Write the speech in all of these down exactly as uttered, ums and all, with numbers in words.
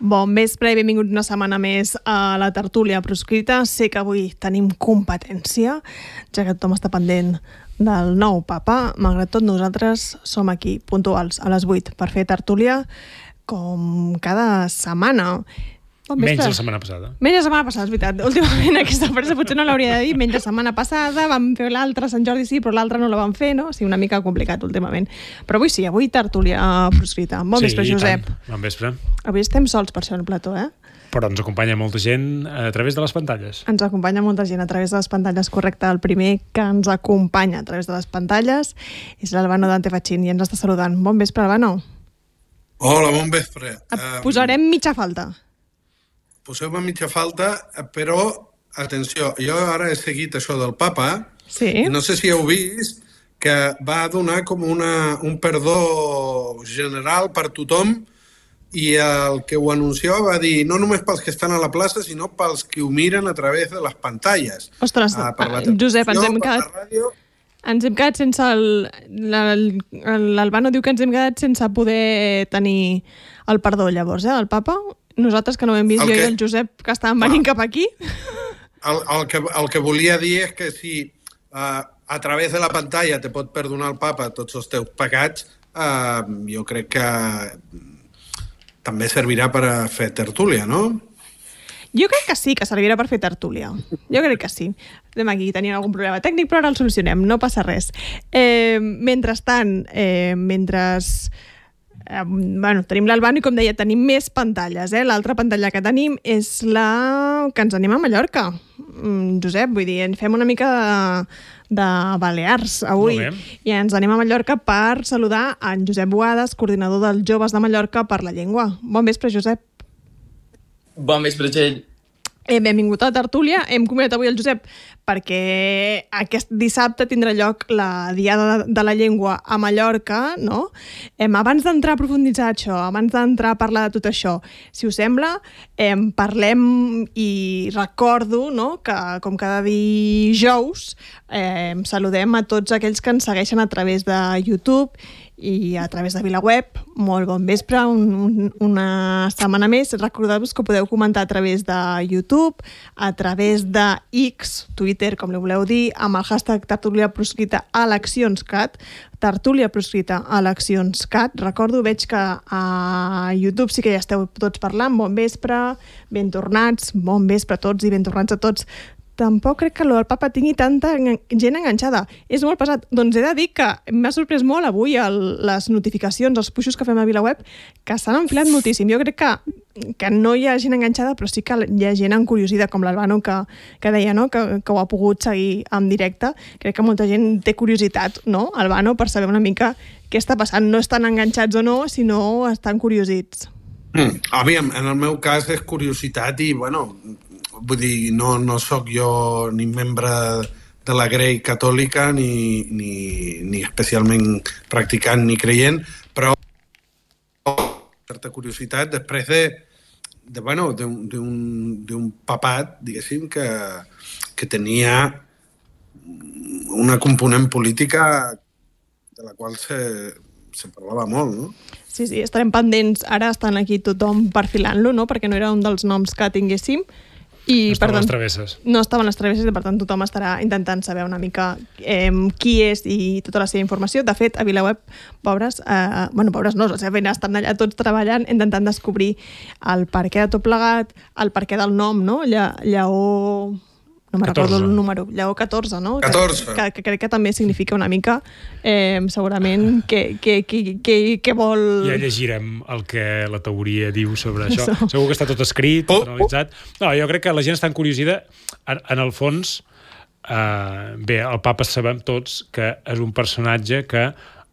Bon vespre i benvinguts una setmana més a la tertúlia proscrita. Sé que avui tenim competència, ja que tothom està pendent del nou papa. Malgrat tot, nosaltres som aquí, puntuals, a les vuit, per fer tertúlia com cada setmana. Bon menys la setmana passada. Menys la setmana passada, és veritat. Últimament aquesta frase potser no l'hauria de dir. Menys la setmana passada, vam fer l'altra, Sant Jordi sí, però l'altra no la vam fer, no? O sigui, una mica complicat últimament. Però avui sí, avui tertúlia proscrita. Bon sí, vespre, Josep. Bon vespre. Avui estem sols per això en el plató, eh? Però ens acompanya molta gent a través de les pantalles. Ens acompanya molta gent a través de les pantalles, correcte. El primer que ens acompanya a través de les pantalles és l'Albano Dante Fachin i ens està saludant. Bon vespre, Albano. Hola, bon vespre. Et posarem mitja falta. Poseu-me mitja falta, però, atenció, jo ara he seguit això del papa, sí. I no sé si heu vist que va donar com una, un perdó general per tothom, i el que ho anunciava va dir no només pels que estan a la plaça, sinó pels que ho miren a través de les pantalles. Ostres, ah, per la Josep, ens hem quedat... Ràdio... Ens hem quedat sense el... L'Albano diu que ens hem quedat sense poder tenir el perdó, llavors, eh, del papa. Nosaltres, que no hem vist, el jo que... i el Josep, que estàvem venint ah. cap aquí. El, el, que, el que volia dir és que si uh, a través de la pantalla te pot perdonar el papa tots els teus pecats, uh, jo crec que també servirà per a fer tertúlia, no? Jo crec que sí, que servirà per fer tertúlia. Jo crec que sí. Estem aquí, tenim algun problema tècnic, però ara el solucionem, no passa res. Eh, mentrestant, eh, mentre... Eh, bueno, tenim l'Albano i, com deia, tenim més pantalles. Eh? L'altra pantalla que tenim és la que ens anem a Mallorca. Mm, Josep, vull dir, fem una mica de, de Balears avui. I ens anem a Mallorca per saludar en Josep Boades, coordinador dels Joves de Mallorca per la Llengua. Bon vespre, Josep. Bon vespre, Txell. Eh, benvingut a la tertúlia. Hem convidat avui el Josep perquè aquest dissabte tindrà lloc la Diada de la Llengua a Mallorca, no? Eh, abans d'entrar a profunditzar això, abans d'entrar a parlar de tot això, si us sembla, eh, parlem i recordo, no?, que com cada dijous eh, saludem a tots aquells que ens segueixen a través de YouTube i a través de VilaWeb. Molt bon vespre, un, un, una setmana més. Recordeu-vos que podeu comentar a través de YouTube, a través de X, Twitter, com li voleu dir, amb el hashtag tertúlia proscrita eleccions.cat, tertúlia proscrita eleccions.cat. Recordo, veig que a YouTube sí que ja esteu tots parlant. Bon vespre, ben tornats, bon vespre a tots i ben tornats a tots. Tampoc crec que el papa tingui tanta gent enganxada. És molt pesat. Doncs he de dir que m'ha sorprès molt avui el, les notificacions, els puixos que fem a VilaWeb, que s'han enfilat moltíssim. Jo crec que, que no hi ha gent enganxada, però sí que hi ha gent encuriosida, com l'Albano, que, que deia, no?, que, que ho ha pogut seguir en directe. Crec que molta gent té curiositat, no?, Albano, per saber una mica què està passant. No estan enganxats o no, sinó estan curiosits. Mm, aviam, en el meu cas és curiositat i, bueno... Vull dir, no, no sóc jo ni membre de la Grey catòlica ni, ni, ni especialment practicant ni creient, però certa curiositat després de, de bueno, d'un papat, diguéssim, que, que tenia una component política de la qual se, se parlava molt, no? Sí, sí, estarem pendents. Ara estan aquí tothom perfilant-lo, no?, perquè no era un dels noms que tinguéssim. I, no estaven les travesses. No estaven les travesses i, per tant, tothom estarà intentant saber una mica eh, qui és i tota la seva informació. De fet, a VilaWeb, pobres, eh, bueno, pobres no, la seva feina, estan allà tots treballant, intentant descobrir el perquè de tot plegat, el perquè del nom, no? Lla, Lleó... No me'n recordo el número. Lleó catorze, no? catorze. Que, que, que crec que també significa una mica, eh, segurament, que, que, que, que, que vol... Ja llegirem el que la teoria diu sobre això. So. Segur que està tot escrit, tot analitzat. No, jo crec que la gent està encuriosida. En, en el fons, eh, bé, el papa sabem tots que és un personatge que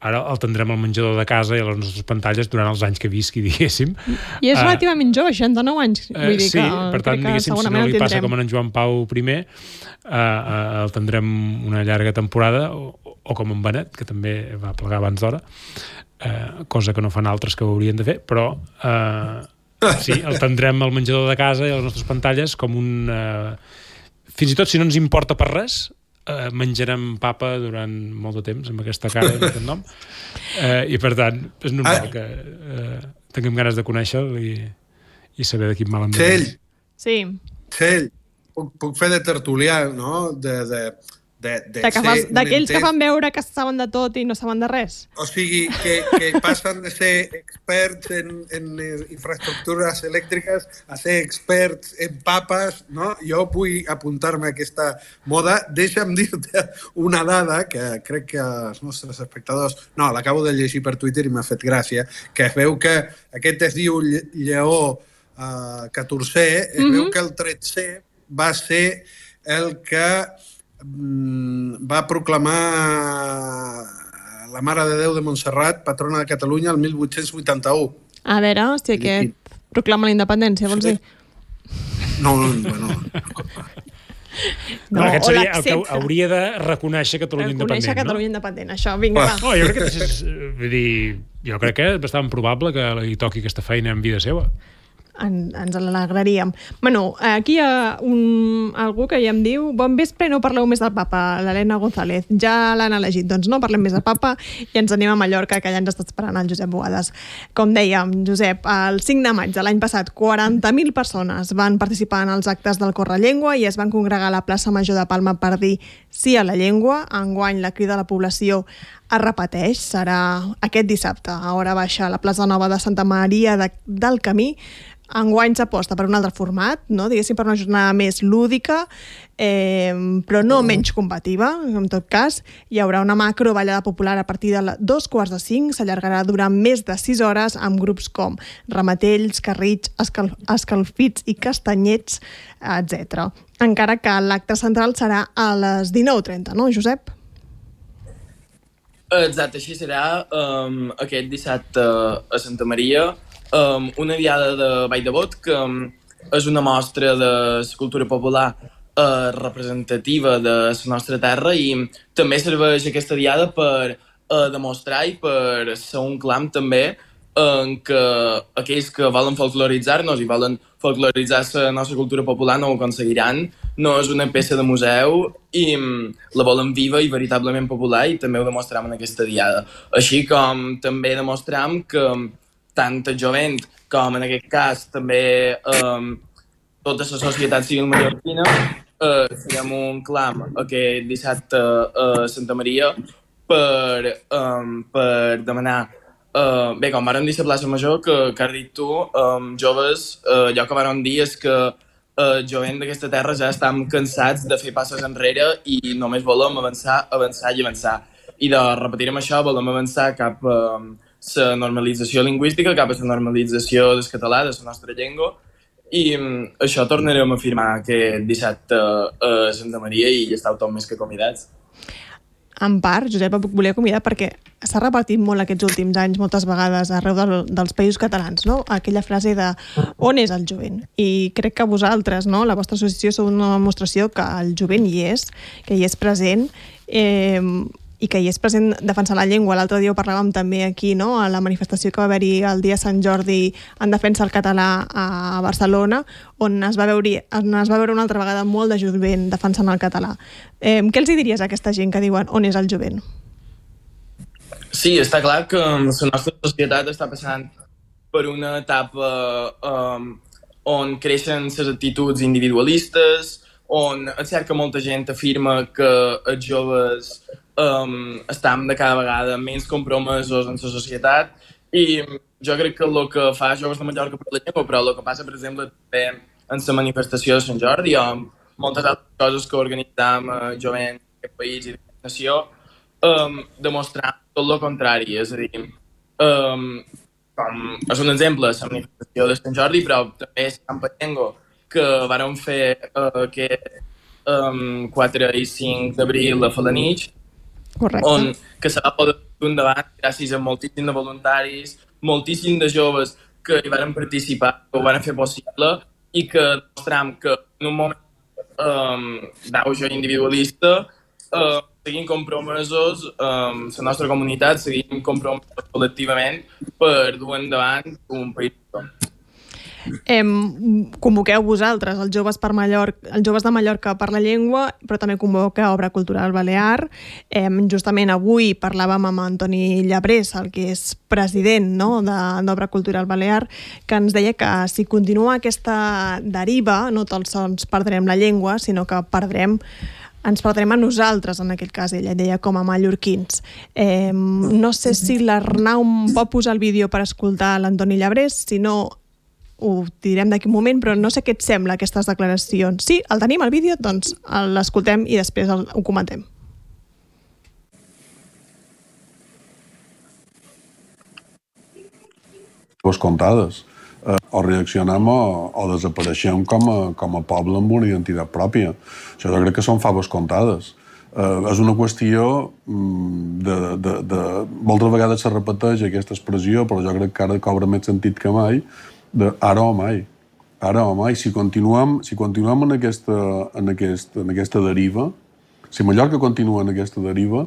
ara el tindrem al menjador de casa i a les nostres pantalles durant els anys que visqui, diguéssim. I és relativament jove, seixanta-nou anys. Vull dir sí, que, per tant, diguéssim, si no li passa com en Joan Pau primer, uh, uh, el tindrem una llarga temporada, o, o com en Benet, que també va plegar abans d'hora, eh, cosa que no fan altres que ho haurien de fer, però eh, sí, el tindrem al menjador de casa i a les nostres pantalles com un... Eh, fins i tot si no ens importa per res, eh, menjarem papa durant molt de temps amb aquesta cara i amb aquest nom, eh, i per tant és normal que eh, tinguem ganes de conèixer-lo i, i saber de quin mal em Txell, Sí. Txell, puc, puc fer de tertulià, no? De, de, de, de De que fas- ser un D'aquells que entès. fan veure que saben de tot i no saben de res. O sigui, que, que passen de ser experts en, en infraestructures elèctriques a ser experts en papes, no? Jo vull apuntar-me a aquesta moda. Deixa'm dir-te una dada que crec que els nostres espectadors... No, l'acabo de llegir per Twitter i m'ha fet gràcia, que es veu que aquest es diu lle- lleó uh, catorzè, es mm-hmm. veu que el tretzè va ser el que va proclamar la Mare de Déu de Montserrat, patrona de Catalunya, el mil vuit-cents vuitanta-u. A veure, si aquest proclama la independència, vols dir? No, no, bueno... No, aquest o seria el que l'accepta. hauria de reconèixer Catalunya Reconèixer independent, Catalunya no? independent. Això, vinga, va. No, jo crec que és, vull dir, jo crec que és bastant probable que li toqui aquesta feina en vida seva. En, ens l'alegraríem. Bueno, aquí hi ha un, algú que ja em diu bon vespre, no parleu més del papa, l'Helena González. Ja l'han elegit, doncs no parlem més del papa i ens anem a Mallorca, que ja ens està esperant el Josep Boades. Com dèiem, Josep, el cinc de maig de l'any passat, quaranta mil persones van participar en els actes del Correllengua i es van congregar a la plaça Major de Palma per dir sí a la llengua. Enguany la crida a la població es repeteix, serà aquest dissabte a hora baixa a la plaça Nova de Santa Maria de, del Camí. Enguany s'aposta per un altre format, no? Diguéssim, per una jornada més lúdica, eh, però no menys combativa, en tot cas. Hi haurà una macro ballada popular a partir de la, dos quarts de cinc, s'allargarà durant més de sis hores amb grups com Ramatells, Carrits, escal, Escalfits i Castanyets, etcètera. Encara que l'acte central serà a les dinou trenta, no, Josep? Exacte, així serà um, aquest dissabte a Santa Maria. Um, una diada de Vall de Bot, que um, és una mostra de la cultura popular uh, representativa de la nostra terra i també serveix aquesta diada per uh, demostrar i per ser un clam també en què aquells que volen folcloritzar-nos i volen folcloritzar la nostra cultura popular no ho aconseguiran. No és una peça de museu i um, la volen viva i veritablement popular i també ho demostrem en aquesta diada. Així com també demostrem que tant el jovent com en aquest cas també um, tota la societat civil mallorquina uh, farem un clam aquest dissabte a Santa Maria per, um, per demanar uh, bé, com vàrem dir a la plaça Major que, que has dit tu, um, joves, uh, allò que vàrem dir és que el uh, jovent d'aquesta terra ja estem cansats de fer passes enrere i només volem avançar, avançar i avançar. I de repetir amb això volem avançar cap a um, la normalització lingüística, cap a la normalització del català, de la nostra llengua, i um, això tornarem a afirmar aquest dissabte a Santa Maria i estàu tot més que convidats. En part, Josep, et volia convidar perquè s'ha repartit molt aquests últims anys, moltes vegades, arreu del, dels països catalans, no? Aquella frase de on és el jovent? I crec que vosaltres, no? La vostra associació sou una demostració que el jovent hi és, que hi és present, eh, i que hi és present defensant la llengua. L'altre dia ho parlàvem també aquí, no? A la manifestació que va haver-hi el dia Sant Jordi en defensa del català a Barcelona, on es va veure, on es va veure una altra vegada molt de jovent defensant el català. Eh, què els hi diries a aquesta gent que diuen on és el jovent? Sí, està clar que la nostra societat està passant per una etapa um, on creixen les actituds individualistes, on és cert que molta gent afirma que els joves um, estan de cada vegada menys compromesos en la societat i jo crec que el que fa Joves de Mallorca per la llengua, però el que passa, per exemple, també en la manifestació de Sant Jordi o moltes altres coses que organitzam a jovent d'aquest país i d'aquesta nació, um, demostrar tot el contrari, és a dir, um, com és un exemple, la manifestació de Sant Jordi, però també és Camp Llengua, que vàrem fer uh, aquest um, quatre i cinc d'abril a Falanich, Correcte. on que se va poder fer endavant gràcies a moltíssim de voluntaris, moltíssim de joves que hi van participar, que ho van fer possible i que demostram que en un moment um, d'auge individualista uh, seguim compromesos amb la nostra comunitat, seguim compromesos col·lectivament per dur endavant un país. Em, convoqueu vosaltres, els joves, per Mallorca, els joves de Mallorca per la llengua, però també convoqueu Obra Cultural Balear. Em, justament avui parlàvem amb Antoni Llabrés, el que és president, no?, d'Obra Cultural Balear, que ens deia que si continua aquesta deriva, no tan sols perdrem la llengua, sinó que perdrem ens perdrem a nosaltres, en aquest cas, ella deia, com a mallorquins. Eh, no sé si l'Arnau pot posar el vídeo per escoltar l'Antoni Llabrés, si no ho direm d'aquí un moment, però no sé què et sembla aquestes declaracions. Sí, el tenim, el vídeo, doncs l'escoltem i després el, ho comentem. Pues comptades. Eh, o reaccionem o, o desapareixem com a, com a poble amb una identitat pròpia. Això jo crec que són faves comptades. Eh, és una qüestió de, de, de... Moltes vegades se repeteix aquesta expressió, però jo crec que ara cobra més sentit que mai, de ara o mai. Ara o mai. Si continuem, si continuem en, aquesta, en, aquest, en aquesta deriva, si Mallorca continua en aquesta deriva,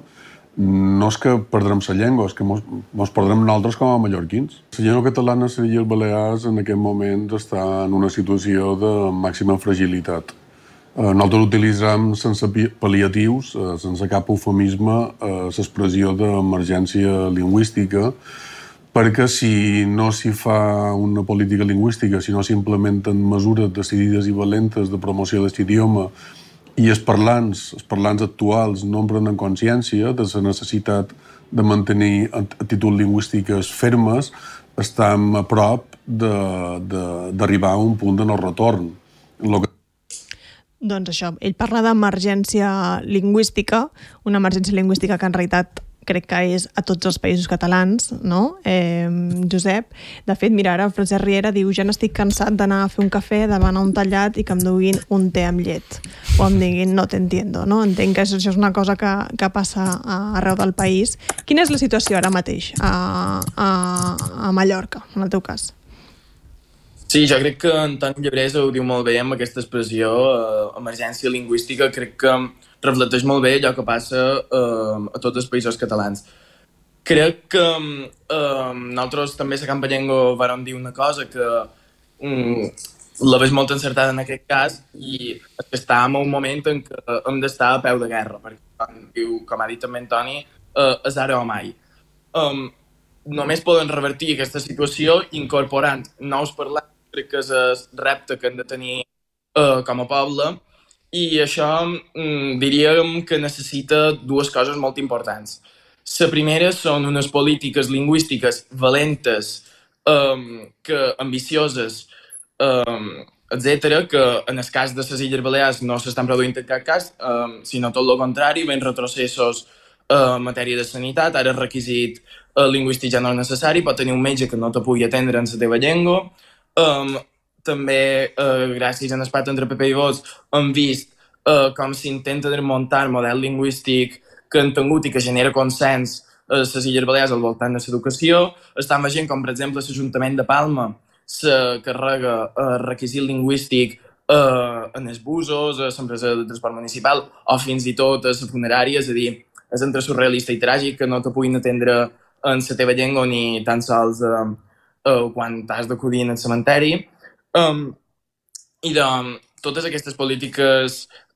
no és que perdrem la llengua, és que mos, mos perdrem nosaltres com a mallorquins. La llengua catalana, les Illes Balears, en aquest moment està en una situació de màxima fragilitat. Eh, nosaltres utilitzem sense pal·liatius, eh, sense cap eufemisme, eh, l'expressió d'emergència lingüística, perquè si no s'hi fa una política lingüística, si no s'implementen mesures decidides i valentes de promoció d'aquest idioma i els parlants, els parlants actuals no en prenen consciència de la necessitat de mantenir actituds lingüístiques fermes, estem a prop d'arribar a un punt de no retorn. Lo que... Doncs això, ell parla d'emergència lingüística, una emergència lingüística que en realitat crec que és a tots els països catalans, no, eh, Josep? De fet, mira, ara Francesc Riera diu: ja n'estic cansat d'anar a fer un cafè, de demanar un tallat i que em duguin un te amb llet. O em diguin no t'entiendo, no? Entenc que això és una cosa que, que passa arreu del país. Quina és la situació ara mateix a, a, a Mallorca, en el teu cas? Sí, jo crec que Antoni Llabrés ho diu molt bé amb aquesta expressió, eh, emergència lingüística. Crec que reflecteix molt bé allò que passa eh, a tots els països catalans. Crec que eh, nosaltres també a la Campa Llengua vàrem dir una cosa que mm, la veig molt encertada en aquest cas, i és que estàvem en un moment en què hem d'estar a peu de guerra, perquè, com, diu, com ha dit també Antoni, eh, és ara o mai. Um, només poden revertir aquesta situació incorporant nous parlants. Crec que és el repte que hem de tenir uh, com a poble, i això mm, diríem que necessita dues coses molt importants. La primera són unes polítiques lingüístiques valentes, um, que ambicioses, um, etcètera, que en el cas de les Illes Balears no s'estan produint en cap cas, um, sinó tot el contrari, ben retrocessos uh, en matèria de sanitat. Ara el requisit uh, lingüístic ja no és necessari, pot tenir un metge que no te pugui atendre en la teva llengua. Um, també, uh, gràcies a l'empat entre P P i Vox, hem vist uh, com s'intenta desmuntar el model lingüístic que han tingut i que genera consens a les Illes Balears al voltant de l'educació. Estem veient com, per exemple, l'Ajuntament de Palma se carrega el uh, requisit lingüístic uh, en els busos, a l'empresa de transport municipal o fins i tot a la funerària. És a dir, és entre surrealista i tràgic que no te puguin atendre en la teva llengua ni tan sols uh, Uh, quan t'has d'acudir en el cementeri. Um, I de um, totes aquestes polítiques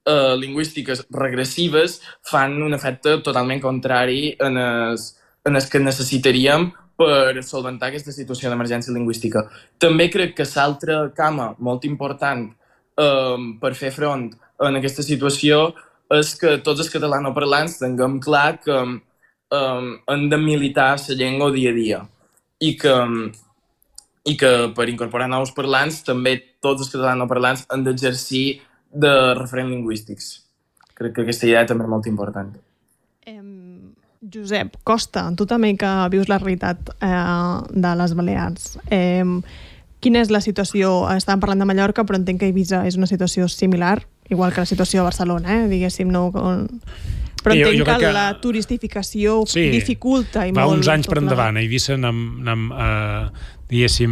uh, lingüístiques regressives fan un efecte totalment contrari en el, en el que necessitaríem per solventar aquesta situació d'emergència lingüística. També crec que l'altra cama molt important um, per fer front en aquesta situació és que tots els catalanoparlants tinguem clar que um, hem de militar la llengua dia a dia, i que i que per incorporar nous parlants també tots els catalanoparlants han d'exercir de referents lingüístics. Crec que aquesta idea també és molt important. Eh, Josep, Costa, tu també que vius la realitat eh, de les Balears, eh, quina és la situació? Estàvem parlant de Mallorca, però entenc que Eivissa és una situació similar, igual que la situació a Barcelona, eh, diguéssim, no... Però entenc jo, jo que, que la turistificació sí, dificulta i va molt... Va uns anys per la... endavant. A Eivissa anem, anem eh, diguéssim,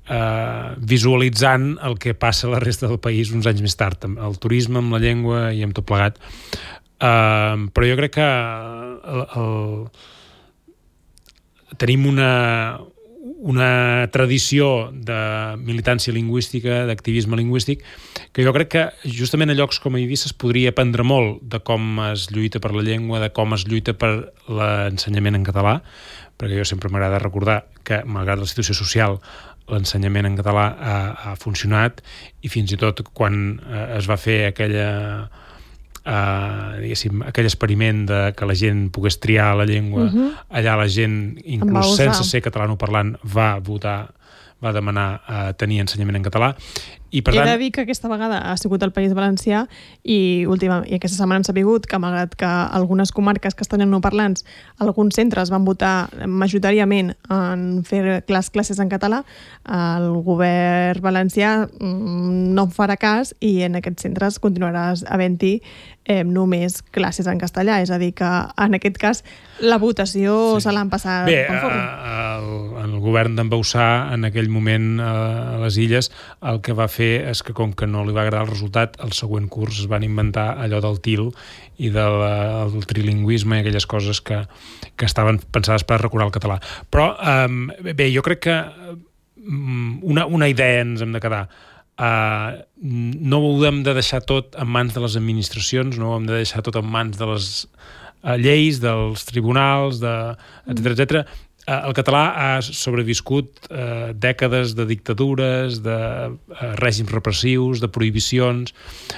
eh, visualitzant el que passa a la resta del país uns anys més tard. El turisme, amb la llengua i amb tot plegat. Uh, però jo crec que el, el... tenim una, una tradició de militància lingüística, d'activisme lingüístic, que jo crec que justament a llocs com a Eivissa es podria aprendre molt de com es lluita per la llengua, de com es lluita per l'ensenyament en català, perquè jo sempre m'agrada recordar que, malgrat la situació social, l'ensenyament en català ha, ha funcionat, i fins i tot quan eh, es va fer aquella... Uh, diguéssim, aquell experiment de que la gent pogués triar la llengua, uh-huh. allà la gent, inclús sense ser catalanoparlant, va votar, va demanar uh, tenir ensenyament en català. I per He tant... de dir que aquesta vegada ha sigut el País Valencià i, última, i aquesta setmana han sabut que, malgrat que algunes comarques castellanoparlants, alguns centres van votar majoritàriament en fer les classes en català, el govern valencià no en farà cas i en aquests centres continuarà havent-hi eh, només classes en castellà. És a dir, que en aquest cas la votació sí. se l'han passat Bé, pel forn. el, el govern d'en Bauçà, en aquell moment a les Illes, el que va fer és que, com que no li va agradar el resultat, el següent curs es van inventar allò del til i del, del trilingüisme i aquelles coses que, que estaven pensades per recuperar el català. Però, um, bé, jo crec que una, una idea ens hem de quedar. Uh, no ho hem de deixar tot en mans de les administracions, no ho hem de deixar tot en mans de les uh, lleis, dels tribunals, de, etcètera, etcètera. El català ha sobreviscut eh, dècades de dictadures, de eh, règims repressius, de prohibicions.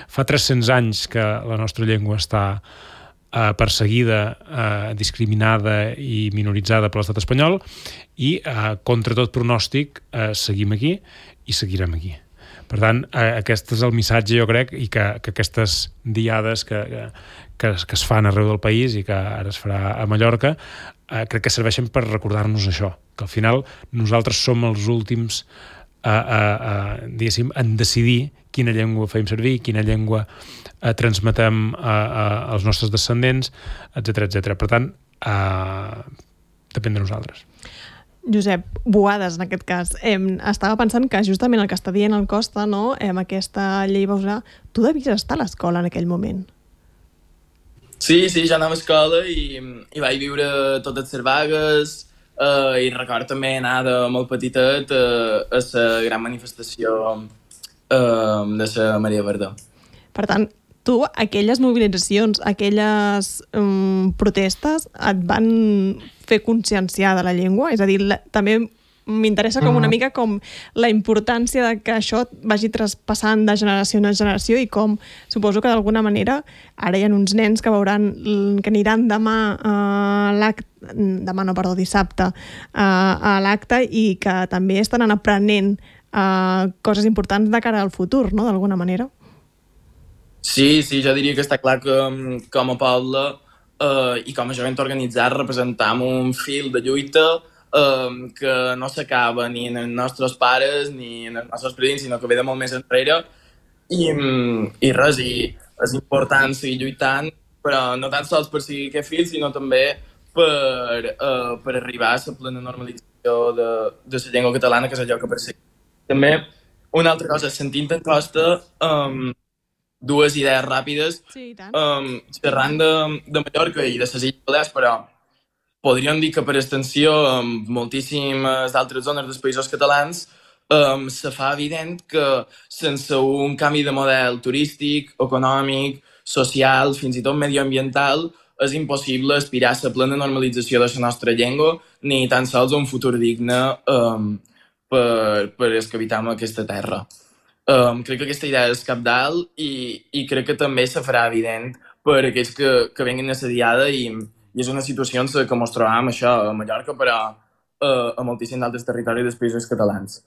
Fa tres-cents anys que la nostra llengua està eh, perseguida, eh, discriminada i minoritzada per l'estat espanyol i, eh, contra tot pronòstic, eh, seguim aquí i seguirem aquí. Per tant, eh, aquest és el missatge, jo crec, i que, que aquestes diades que, que, que es fan arreu del país i que ara es farà a Mallorca, eh, crec que serveixen per recordar-nos això, que al final nosaltres som els últims a, a, a, diguéssim, en decidir quina llengua fem servir, quina llengua eh, transmetem a, a, als nostres descendents, etcètera, etcètera. Per tant, eh, depèn de nosaltres. Josep, Boades, en aquest cas. Eh, estava pensant que justament el que està dient el Costa, no?, eh, amb aquesta llei Bauçà, tu devies estar a l'escola en aquell moment. Sí, sí, ja anava a escola i, i vaig viure totes les vagues eh, i record també anar de molt petitet eh, a la gran manifestació eh, de la Maria Verdó. Per tant, tu, aquelles mobilitzacions, aquelles um, protestes et van fer conscienciar de la llengua? És a dir, la, també m'interessa com una mica com la importància de que això vagi traspassant de generació en generació i com, suposo que d'alguna manera, ara hi ha uns nens que veuran, que aniran demà a l'acte, demà no, perdó, dissabte, a l'acte i que també estan aprenent uh, coses importants de cara al futur, no?, d'alguna manera. Sí, sí, jo diria que està clar que com a poble eh, i com a jovent organitzat representam un fil de lluita eh, que no s'acaba ni en els nostres pares ni en els nostres predins, sinó que ve de molt més enrere i, i res, i és important seguir lluitant, però no tan sols per seguir aquest fil, sinó també per, eh, per arribar a la plena normalització de, de la llengua catalana, que és allò que perseguim. També una altra cosa, sentint en Costa, um, dues idees ràpides, sí, um, xerrant de, de Mallorca i de les Illes Balears, però podríem dir que per extensió en moltíssimes altres zones dels països catalans um, se fa evident que sense un canvi de model turístic, econòmic, social, fins i tot medioambiental, és impossible aspirar a la plena normalització de la nostra llengua, ni tan sols un futur digne um, per, per els que habitam aquesta terra. Um, crec que aquesta idea és cabdal i, i crec que també se farà evident per aquells que, que venguin a la diada i, i és una situació en què ens trobam això a Mallorca, però uh, a moltíssims altres territoris dels països catalans.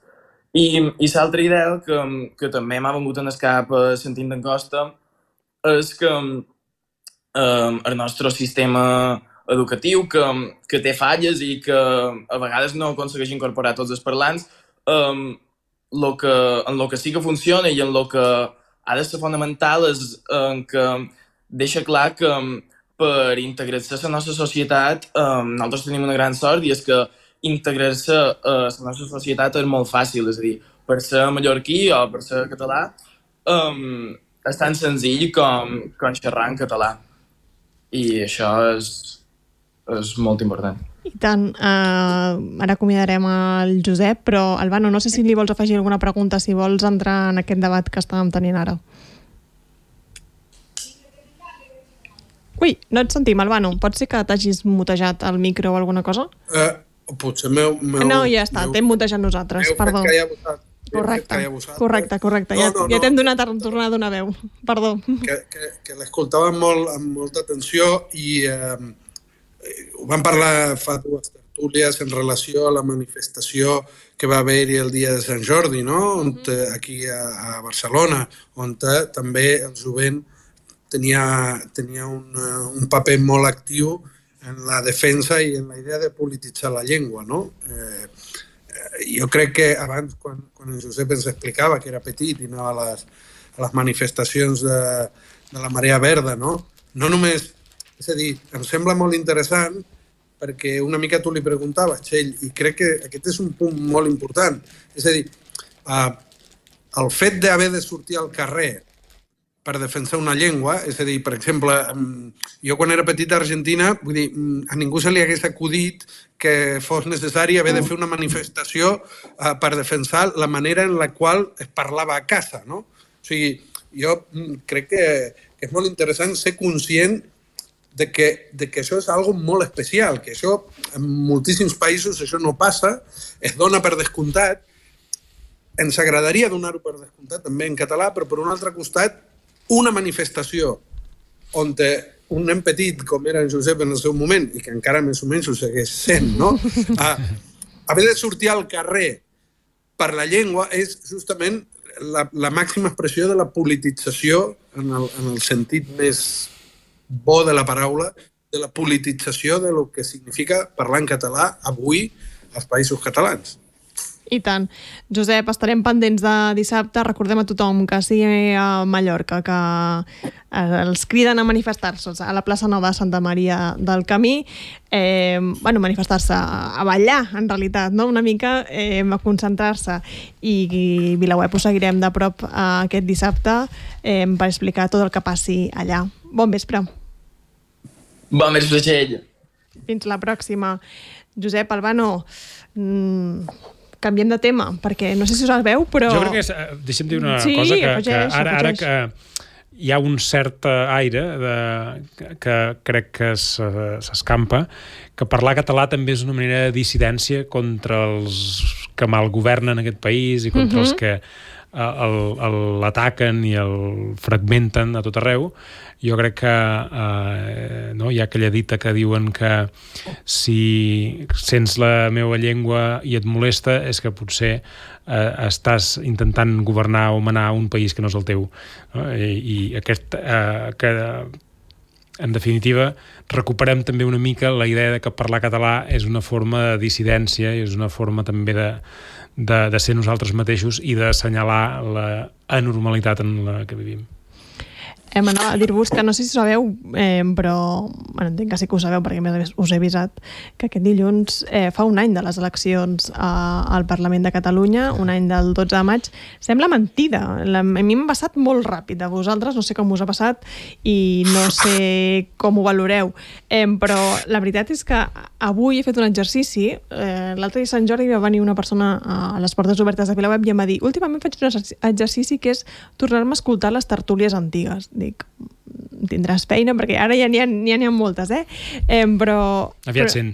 I, i l'altra idea que, que també m'ha vengut en el cap uh, sentint en Costa és que um, el nostre sistema educatiu, que, que té falles i que a vegades no aconsegueix incorporar tots els parlants, um, lo que, en el que sí que funciona i en el que ha de ser fonamental és en que deixa clar que per integrar-se a la nostra societat um, nosaltres tenim una gran sort i és que integrar-se a la nostra societat és molt fàcil, és a dir, per ser mallorquí o per ser català um, és tan senzill com, com xerrar en català. i això és, és molt important. I tant. Uh, ara acomiadarem el Josep, però Albano, no sé si li vols afegir alguna pregunta, si vols entrar en aquest debat que estàvem tenint ara. Ui, no et sentim, Albano. Pot ser que t'hagis mutejat el micro o alguna cosa? Uh, potser meu... meu no, ja està, t'hem mutejat nosaltres, perdó. Correcte, correcte, correcte. No, no, ja, ja t'hem donat a tornar a donar veu. Perdó. Que, que, que l'escoltava molt, amb molta atenció i eh, ho vam parlar fa dues tertúlies en relació a la manifestació que va haver-hi el dia de Sant Jordi, no? On, aquí a, a Barcelona, on també el jovent tenia, tenia un, un paper molt actiu en la defensa i en la idea de polititzar la llengua, no? Eh, jo crec que abans, quan, quan en Josep ens explicava que era petit i anava a les, a les manifestacions de, de la Marea Verda, no? No només, és a dir, em sembla molt interessant perquè una mica tu li preguntaves, Txell, i crec que aquest és un punt molt important. És a dir, eh, el fet d'haver de sortir al carrer per defensar una llengua, és a dir, per exemple, jo quan era petit a Argentina, vull dir, a ningú se li hagués acudit que fos necessari haver de fer una manifestació uh, per defensar la manera en la qual es parlava a casa, no? O sigui, jo crec que, que és molt interessant ser conscient de que, de que això és algo molt especial, que això en moltíssims països això no passa, es dona per descomptat, ens agradaria donar-ho per descomptat també en català, però per un altre costat una manifestació on un nen petit, com era en Josep en el seu moment, i que encara més o menys ho segueix sent, no? A, haver de sortir al carrer per la llengua és justament la, la màxima expressió de la politització, en el, en el sentit més bo de la paraula, de la politització de lo que significa parlar en català avui als països catalans. I tant. Josep, estarem pendents de dissabte. Recordem a tothom que sigui a Mallorca, que els criden a manifestar-se a la plaça Nova de Santa Maria del Camí. Eh, bueno, manifestar-se, a ballar, en realitat, no? Una mica eh, a concentrar-se. I, i VilaWeb ho seguirem de prop eh, aquest dissabte eh, per explicar tot el que passi allà. Bon vespre. Bon vespre, Txell. Fins la pròxima. Josep, Albano... Mm, canviem de tema, perquè no sé si us el veu, però... Jo crec que és... Deixa'm dir una sí, cosa, que, afegeix, que ara, ara que hi ha un cert aire de, que crec que s'escampa, que parlar català també és una manera de dissidència contra els que malgovernen aquest país i contra uh-huh. els que l'ataquen i el fragmenten a tot arreu. Jo crec que eh, no, hi ha aquella dita que diuen que si sents la meva llengua i et molesta és que potser eh, estàs intentant governar o manar un país que no és el teu. No? I, i aquest... Eh, que, en definitiva, recuperem també una mica la idea de que parlar català és una forma de dissidència i és una forma també de, de, de ser nosaltres mateixos i d'assenyalar la anormalitat en la que vivim. Eh, M'anava a dir-vos que no sé si ho sabeu, eh, però bueno, entenc que sí que ho sabeu perquè més us he avisat que aquest dilluns eh, fa un any de les eleccions eh, al Parlament de Catalunya, un any del dotze de maig. Sembla mentida. La, a mi m'ha passat molt ràpid. A vosaltres no sé com us ha passat i no sé com ho valoreu. Eh, però la veritat és que avui he fet un exercici. Eh, L'altre dia Sant Jordi va venir una persona a les portes obertes de VilaWeb i em va dir: últimament faig un exercici que és tornar-me a escoltar les tertúlies antigues. Dic, tindràs feina, perquè ara ja n'hi ha, n'hi ha, n'hi ha moltes, eh? eh però... Aviat cent.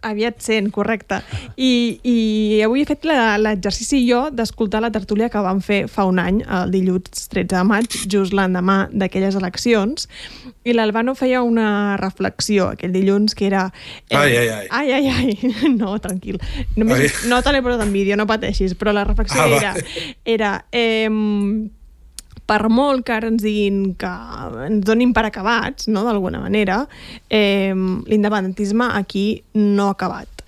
Aviat cent, correcte. I, i avui he fet l'exercici jo d'escoltar la tertúlia que vam fer fa un any, el dilluns tretze de maig, just l'endemà d'aquelles eleccions, i l'Albano feia una reflexió aquell dilluns que era... Eh, ai, ai, ai. Ai, ai, ai. No, tranquil. Només, ai. No te l'he posat en vídeo, no pateixis, però la reflexió ah, era... era eh, per molt que ara ens diguin que ens donin per acabats, no, d'alguna manera, eh, l'independentisme aquí no ha acabat.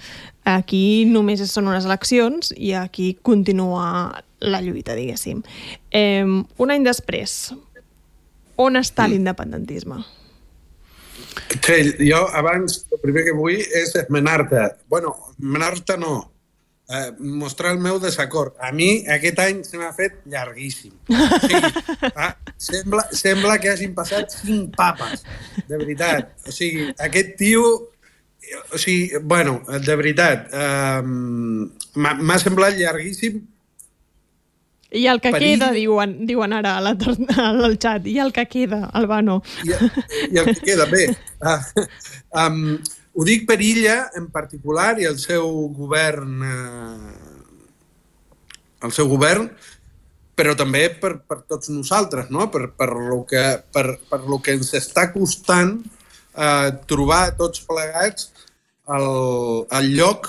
Aquí només són unes eleccions i aquí continua la lluita, diguéssim. Eh, un any després, on està l'independentisme? Sí, jo abans el primer que vull és esmenar-te. Bueno, esmenar-te no. eh, mostrar el meu desacord. A mi aquest any se m'ha fet llarguíssim. O sigui, ah, sembla, sembla que hagin passat cinc papes, de veritat. O sigui, aquest tio... O sigui, bueno, de veritat, eh, m'ha semblat llarguíssim. I el que perill... queda, diuen, diuen ara a la, al xat, i el que queda, Albano. I, i el que queda, bé. Uh, um, ho dic per Illa, en particular, i el seu govern, uh, el seu govern, però també per, per tots nosaltres, no? per, per, lo que, per, per lo que ens està costant uh, trobar tots plegats el, el lloc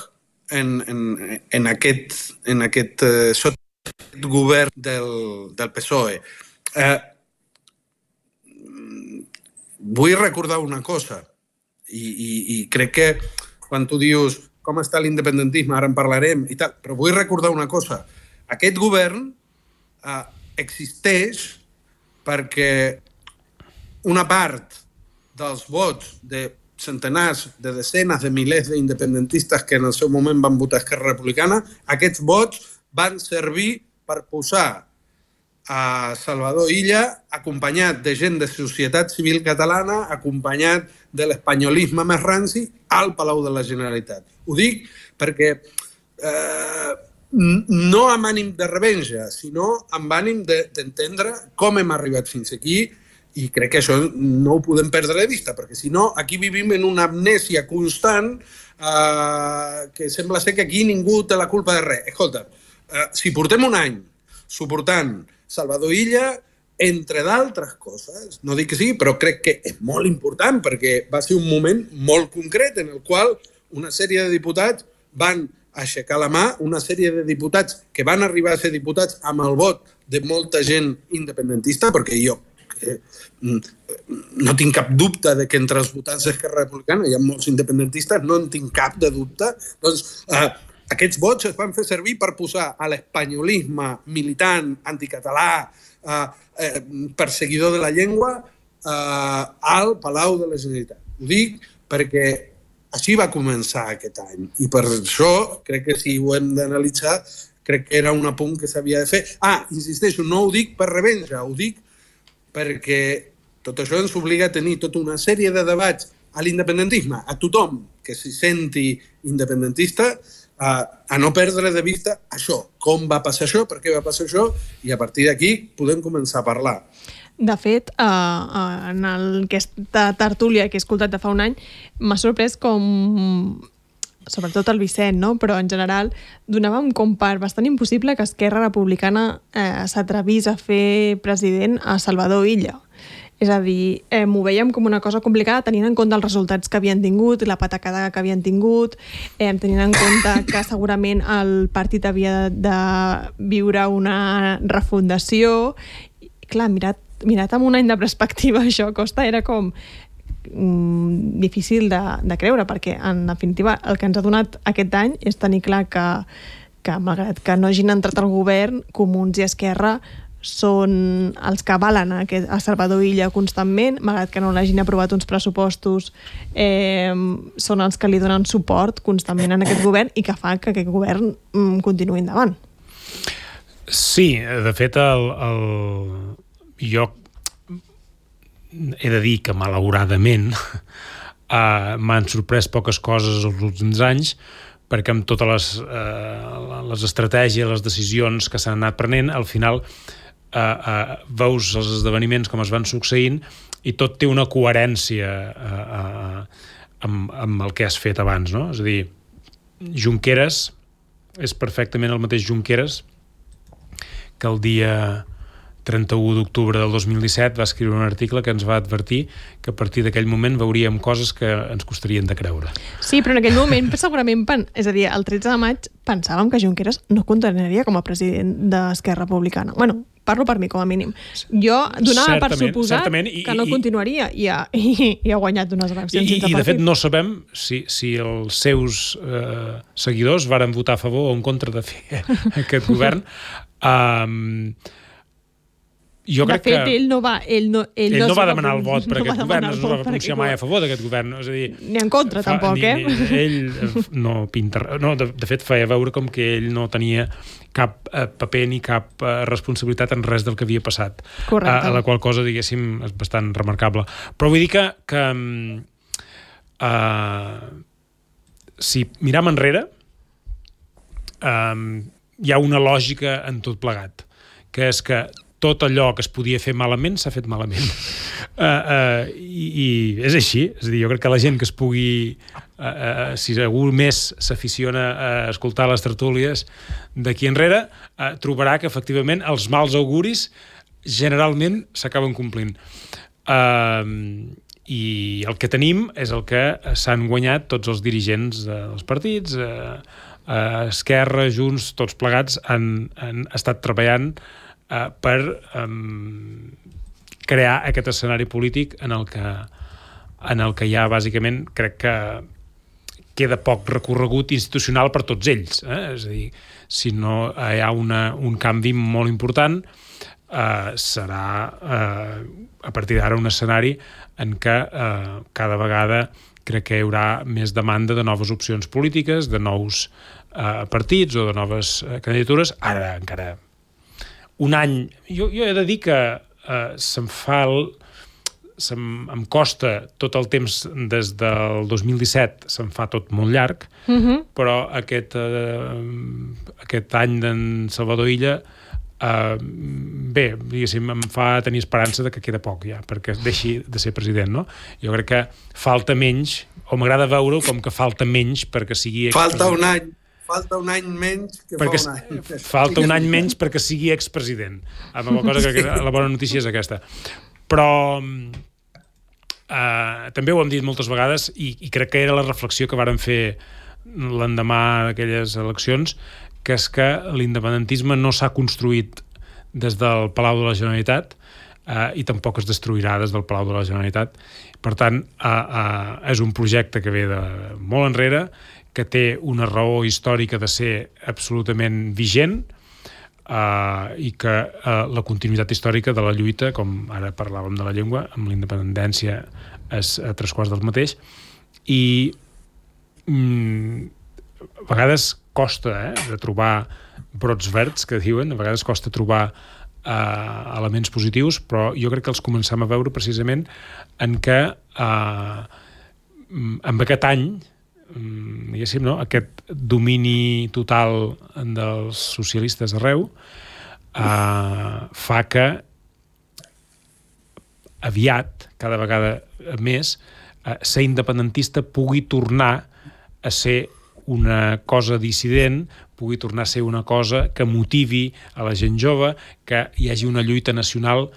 en, en, en aquest, en aquest uh, sota govern del, del P S O E. Eh, vull recordar una cosa, i, i, i crec que quan tu dius com està l'independentisme, ara en parlarem i tal, però vull recordar una cosa. Aquest govern eh, existeix perquè una part dels vots de centenars, de desenes de milers d'independentistes que en el seu moment van votar Esquerra Republicana, aquests vots van servir per posar a Salvador Illa acompanyat de gent de societat civil catalana, acompanyat de l'espanyolisme més ranci, al Palau de la Generalitat. Ho dic perquè eh, no amb ànim de revenja, sinó amb ànim d'entendre de, com hem arribat fins aquí, i crec que això no ho podem perdre de vista, perquè si no, aquí vivim en una amnèsia constant eh, que sembla ser que aquí ningú té la culpa de res. Escolta, Uh, si portem un any suportant Salvador Illa, entre d'altres coses, no dic que sí, però crec que és molt important perquè va ser un moment molt concret en el qual una sèrie de diputats van aixecar la mà, una sèrie de diputats que van arribar a ser diputats amb el vot de molta gent independentista, perquè jo eh, no tinc cap dubte de que entre els votants d'Esquerra Republicana hi ha molts independentistes, no en tinc cap de dubte, doncs eh, aquests vots es van fer servir per posar a l'espanyolisme militant, anticatalà, eh, eh, perseguidor de la llengua, eh, al Palau de la Generalitat. Ho dic perquè així va començar aquest any. I per això, crec que si ho hem d'analitzar, crec que era un apunt que s'havia de fer. Ah, insisteixo, no ho dic per revenja, ho dic perquè tot això ens obliga a tenir tota una sèrie de debats a l'independentisme, a tothom que s'hi senti independentista, a no perdre de vista això, com va passar això, per què va passar això, i a partir d'aquí podem començar a parlar. De fet, en aquesta tertúlia que he escoltat de fa un any, m'ha sorprès com, sobretot el Vicent, no? Però en general, donàvem com per bastant impossible que Esquerra Republicana eh, s'atrevís a fer president a Salvador Illa. És a dir, eh, m'ho veiem com una cosa complicada tenint en compte els resultats que havien tingut, la patacada que havien tingut, eh, tenint en compte que segurament el partit havia de viure una refundació. I, clar, mirat, mirat amb un any de perspectiva, això costa, era com mm, difícil de, de creure, perquè en definitiva el que ens ha donat aquest any és tenir clar que, que malgrat que no hagin entrat al govern, Comuns i Esquerra són els que avalen a, aquest, a Salvador Illa constantment, malgrat que no l'hagin aprovat uns pressupostos, eh, són els que li donen suport constantment en aquest govern i que fa que aquest govern mm, continuï endavant. Sí, de fet, el, el... jo he de dir que malauradament uh, m'han sorprès poques coses els últims anys, perquè amb totes les, uh, les estratègies, les decisions que s'han anat prenent, al final Uh, uh, veus els esdeveniments com es van succeint i tot té una coherència uh, uh, amb, amb el que has fet abans, no? És a dir, Junqueras és perfectament el mateix Junqueras que el dia trenta-u d'octubre del dos mil disset va escriure un article que ens va advertir que a partir d'aquell moment veuríem coses que ens costarien de creure. Sí, però en aquell moment segurament, és a dir, el tretze de maig pensàvem que Junqueras no continuaria com a president d'Esquerra Republicana. Bueno, parlo per mi, com a mínim. Jo donava per suposat i, que no i, continuaria i ha, i, i ha guanyat unes eleccions i, sense i, partit. I de fet no sabem si, si els seus eh, seguidors varen votar a favor o en contra de fer aquest govern. Um, jo de crec fet, que... ell no va, ell no, ell Ell no, no va va demanar el vot per no aquest va govern, demanar no el es va vot per pronunciar aquest mai a govern. favor d'aquest govern. És a dir, Ni en contra, fa, tampoc, ni, eh? Ni, ell eh, no pinta... No, de, de fet, feia veure com que ell no tenia cap eh, paper ni cap eh, responsabilitat en res del que havia passat. Correcte. A, a la qual cosa, diguéssim, és bastant remarcable. Però vull dir que, que uh, si miram enrere, um, hi ha una lògica en tot plegat, que és que tot allò que es podia fer malament s'ha fet malament. Uh, uh, i, I és així. És a dir, jo crec que la gent que es pugui... Uh, uh, si algú més s'aficiona a escoltar les tertúlies d'aquí enrere, uh, trobarà que efectivament els mals auguris generalment s'acaben complint. Uh, I el que tenim és el que s'han guanyat tots els dirigents dels partits, uh, uh, Esquerra, Junts, tots plegats han, han estat treballant Uh, per um, crear aquest escenari polític en el que en el que ja bàsicament crec que queda poc recorregut institucional per tots ells, eh? És a dir, si no hi ha una, un canvi molt important, uh, serà uh, a partir d'ara un escenari en què uh, cada vegada crec que hi haurà més demanda de noves opcions polítiques, de nous uh, partits o de noves uh, candidatures. Ara encara un any, jo, jo he de dir que uh, se'm fa el, se'm, em costa tot el temps des del dos mil disset, se'm fa tot molt llarg, Uh-huh. però aquest, uh, aquest any d'en Salvador Illa uh, bé, diguéssim, em fa tenir esperança de que queda poc ja, perquè deixi de ser president, no? Jo crec que falta menys, o m'agrada veure-ho com que falta menys perquè sigui Falta un any. Falta un any menys que perquè fa un any. Falta un any menys perquè sigui expresident. Amb la cosa que la bona notícia és aquesta. Però eh, també ho hem dit moltes vegades i, i crec que era la reflexió que vàrem fer l'endemà d'aquelles eleccions, que és que l'independentisme no s'ha construït des del Palau de la Generalitat eh, i tampoc es destruirà des del Palau de la Generalitat. Per tant, eh, eh, és un projecte que ve de molt enrere, que té una raó històrica de ser absolutament vigent uh, i que uh, la continuïtat històrica de la lluita, com ara parlàvem de la llengua, amb la independència és a tres quarts del mateix, i mm, a vegades costa eh, de trobar brots verds, que diuen, a vegades costa trobar uh, elements positius, però jo crec que els començam a veure precisament en què uh, amb aquest any diguéssim, no? Aquest domini total dels socialistes arreu eh, fa que aviat, cada vegada més, eh, ser independentista pugui tornar a ser una cosa dissident, pugui tornar a ser una cosa que motivi a la gent jove, que hi hagi una lluita nacional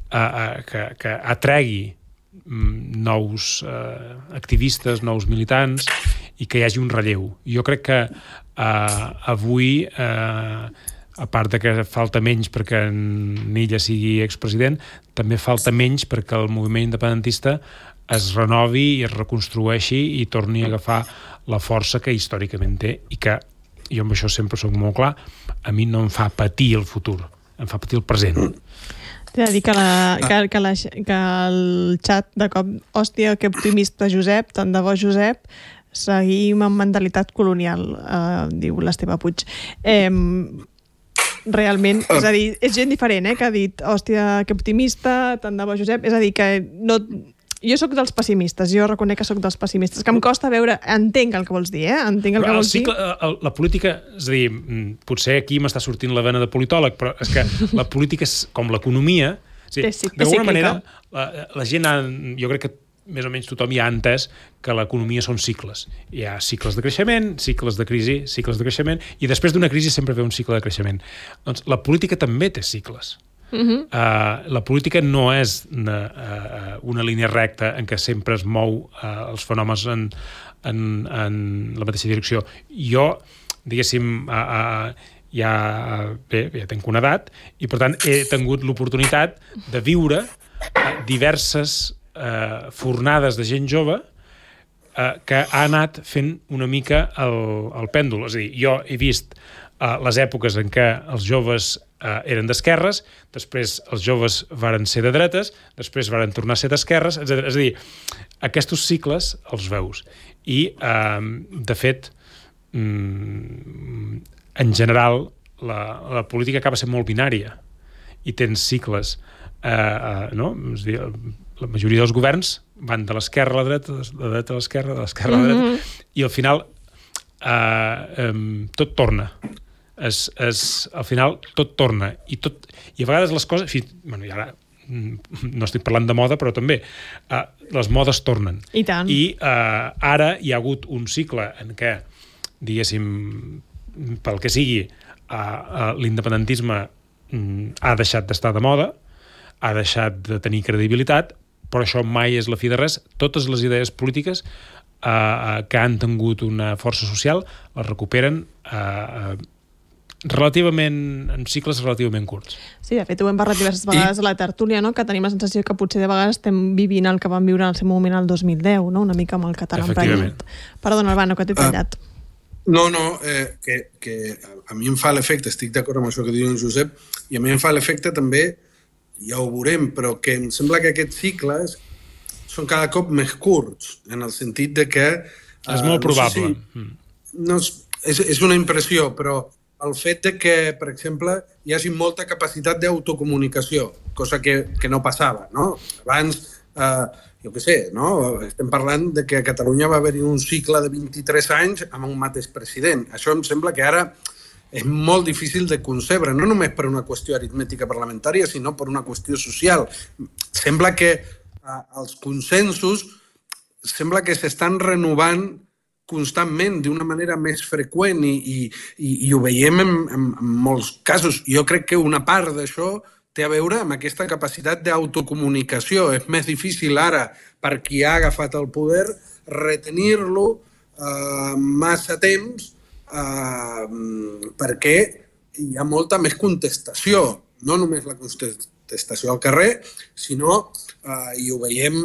eh, eh, que, que atregui nous eh, activistes, nous militants, i que hi hagi un relleu. Jo crec que eh, avui, eh, a part de que falta menys perquè en Illa sigui expresident, també falta menys perquè el moviment independentista es renovi i es reconstrueixi i torni a agafar la força que històricament té i que, jo amb això sempre soc molt clar, a mi no em fa patir el futur, em fa patir el present. T'he de dir que, la, que, que, la, que el xat de cop, hòstia, que optimista Josep, tant de bo Josep, seguim amb mentalitat colonial, eh, diu l'Esteve Puig. Eh, realment, és a dir, és gent diferent, eh, que ha dit, hòstia, que optimista, tant de bo Josep, és a dir, que no... Jo sóc dels pessimistes, jo reconec que sóc dels pessimistes, que em costa veure, entenc el que vols dir, eh? Entenc el que vols dir. La, la política, és a dir, potser aquí m'està sortint la vena de politòleg, però és que la política és com l'economia, d'alguna manera, la, la gent, ha, jo crec que més o menys tothom ja ha entès que l'economia són cicles. Hi ha cicles de creixement, cicles de crisi, cicles de creixement, i després d'una crisi sempre ve un cicle de creixement. Doncs la política també té cicles. Uh-huh. Uh, la política no és una, uh, una línia recta en què sempre es mou uh, els fenòmens en, en, en la mateixa direcció. Jo, diguéssim, uh, uh, ja, bé, ja tenc una edat i per tant he tingut l'oportunitat de viure uh, diverses uh, fornades de gent jove uh, que ha anat fent una mica el, el pèndol. És a dir, jo he vist uh, les èpoques en què els joves eh, eren d'esquerres, després els joves varen ser de dretes, després varen tornar a ser d'esquerres, etcètera. És a dir, aquests cicles els veus. I, eh, de fet, mm, en general, la, la política acaba sent molt binària i tens cicles, eh, eh, no? És a dir, la majoria dels governs van de l'esquerra a la dreta, de la dreta a l'esquerra, de l'esquerra a la dreta, mm-hmm. i al final eh, eh, tot torna. Es, es, al final tot torna. I, tot, i a vegades les coses... Fi, bueno, i ara no estic parlant de moda, però també eh, les modes tornen. I tant. I eh, ara hi ha hagut un cicle en què, diguéssim, pel que sigui, eh, eh, l'independentisme mm, ha deixat d'estar de moda, ha deixat de tenir credibilitat, però això mai és la fi de res. Totes les idees polítiques eh, que han tingut una força social les recuperen eh, relativament, en cicles relativament curts. Sí, de fet, ho hem parlat diverses vegades I... a la tertúlia, no? Que tenim la sensació que potser de vegades estem vivint el que vam viure en el seu moment el dos mil deu, no? Una mica amb el català emprenyat. Perdona, Albano, que t'he tallat. Uh, no, no, eh, que, que a mi em fa l'efecte, estic d'acord amb això que diu en Josep, i a mi em fa l'efecte també, ja ho veurem, però que em sembla que aquests cicles són cada cop més curts, en el sentit de que... És uh, molt no probable. Si, no és, és, és una impressió, però el fet de que, per exemple, hi hagi molta capacitat d'autocomunicació, cosa que, que no passava, no? Abans, eh, jo què sé, no? Estem parlant de que a Catalunya va haver-hi un cicle de vint-i-tres anys amb un mateix president. Això em sembla que ara és molt difícil de concebre, no només per una qüestió aritmètica parlamentària, sinó per una qüestió social. Sembla que eh, els consensos sembla que s'estan renovant constantment, d'una manera més freqüent i, i, i, i ho veiem en, en, en molts casos. Jo crec que una part d'això té a veure amb aquesta capacitat d'autocomunicació. És més difícil ara, per qui ha agafat el poder, retenir-lo eh, massa temps eh, perquè hi ha molta més contestació. No només la contestació al carrer, sinó, eh, i ho veiem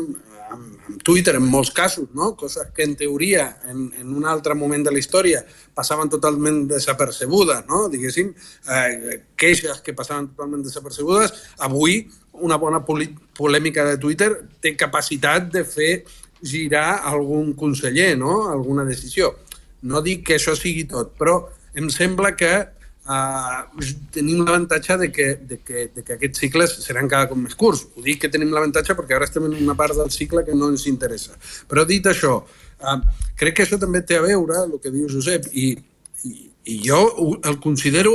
amb Twitter en molts casos, no? Coses que en teoria en, en un altre moment de la història passaven totalment desapercebudes, no? Diguéssim, eh, queixes que passaven totalment desapercebudes. Avui una bona polèmica de Twitter té capacitat de fer girar algun conseller, no? Alguna decisió. No dic que això sigui tot, però em sembla que Uh, tenim l'avantatge de, que, de, que, de que aquests cicles seran cada cop més curts. Ho dic que tenim l'avantatge perquè ara estem en una part del cicle que no ens interessa. Però dit això, uh, crec que això també té a veure, el que diu Josep, i, i, i jo el considero,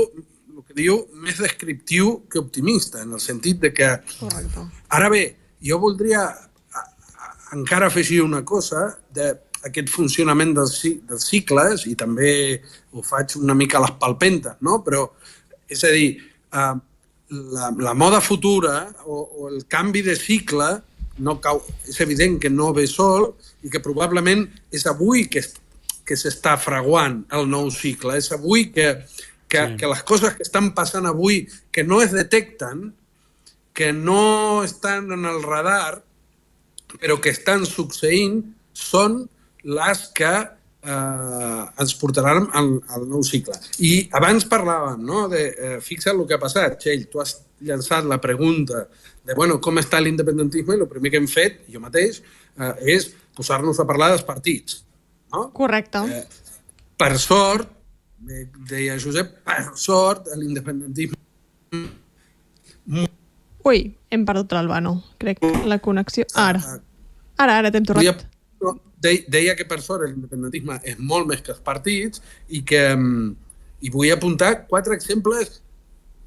el que diu, més descriptiu que optimista, en el sentit de que... Correcte. Ara bé, jo voldria a, a, encara afegir una cosa de aquest funcionament dels, dels cicles, i també ho faig una mica a les palpentes, no? Però, és a dir, eh, la, la moda futura o, o el canvi de cicle no cau, és evident que no ve sol i que probablement és avui que, que s'està fraguant el nou cicle, és avui que, que, sí. que les coses que estan passant avui, que no es detecten, que no estan en el radar, però que estan succeint, són les que eh, ens portaran al, al nou cicle. I abans parlàvem, no? De, eh, fixa't el que ha passat, Txell, tu has llançat la pregunta de bueno, com està l'independentisme, i el primer que hem fet, jo mateix, eh, és posar-nos a parlar dels partits. No? Correcte. Eh, per sort, deia Josep, per sort, l'independentisme... Ui, hem perdut l'Albano. Crec que la connexió... Ara. Ara, ara t'hem tornat. Deia que per sort l'independentisme és molt més que els partits i que i vull apuntar quatre exemples.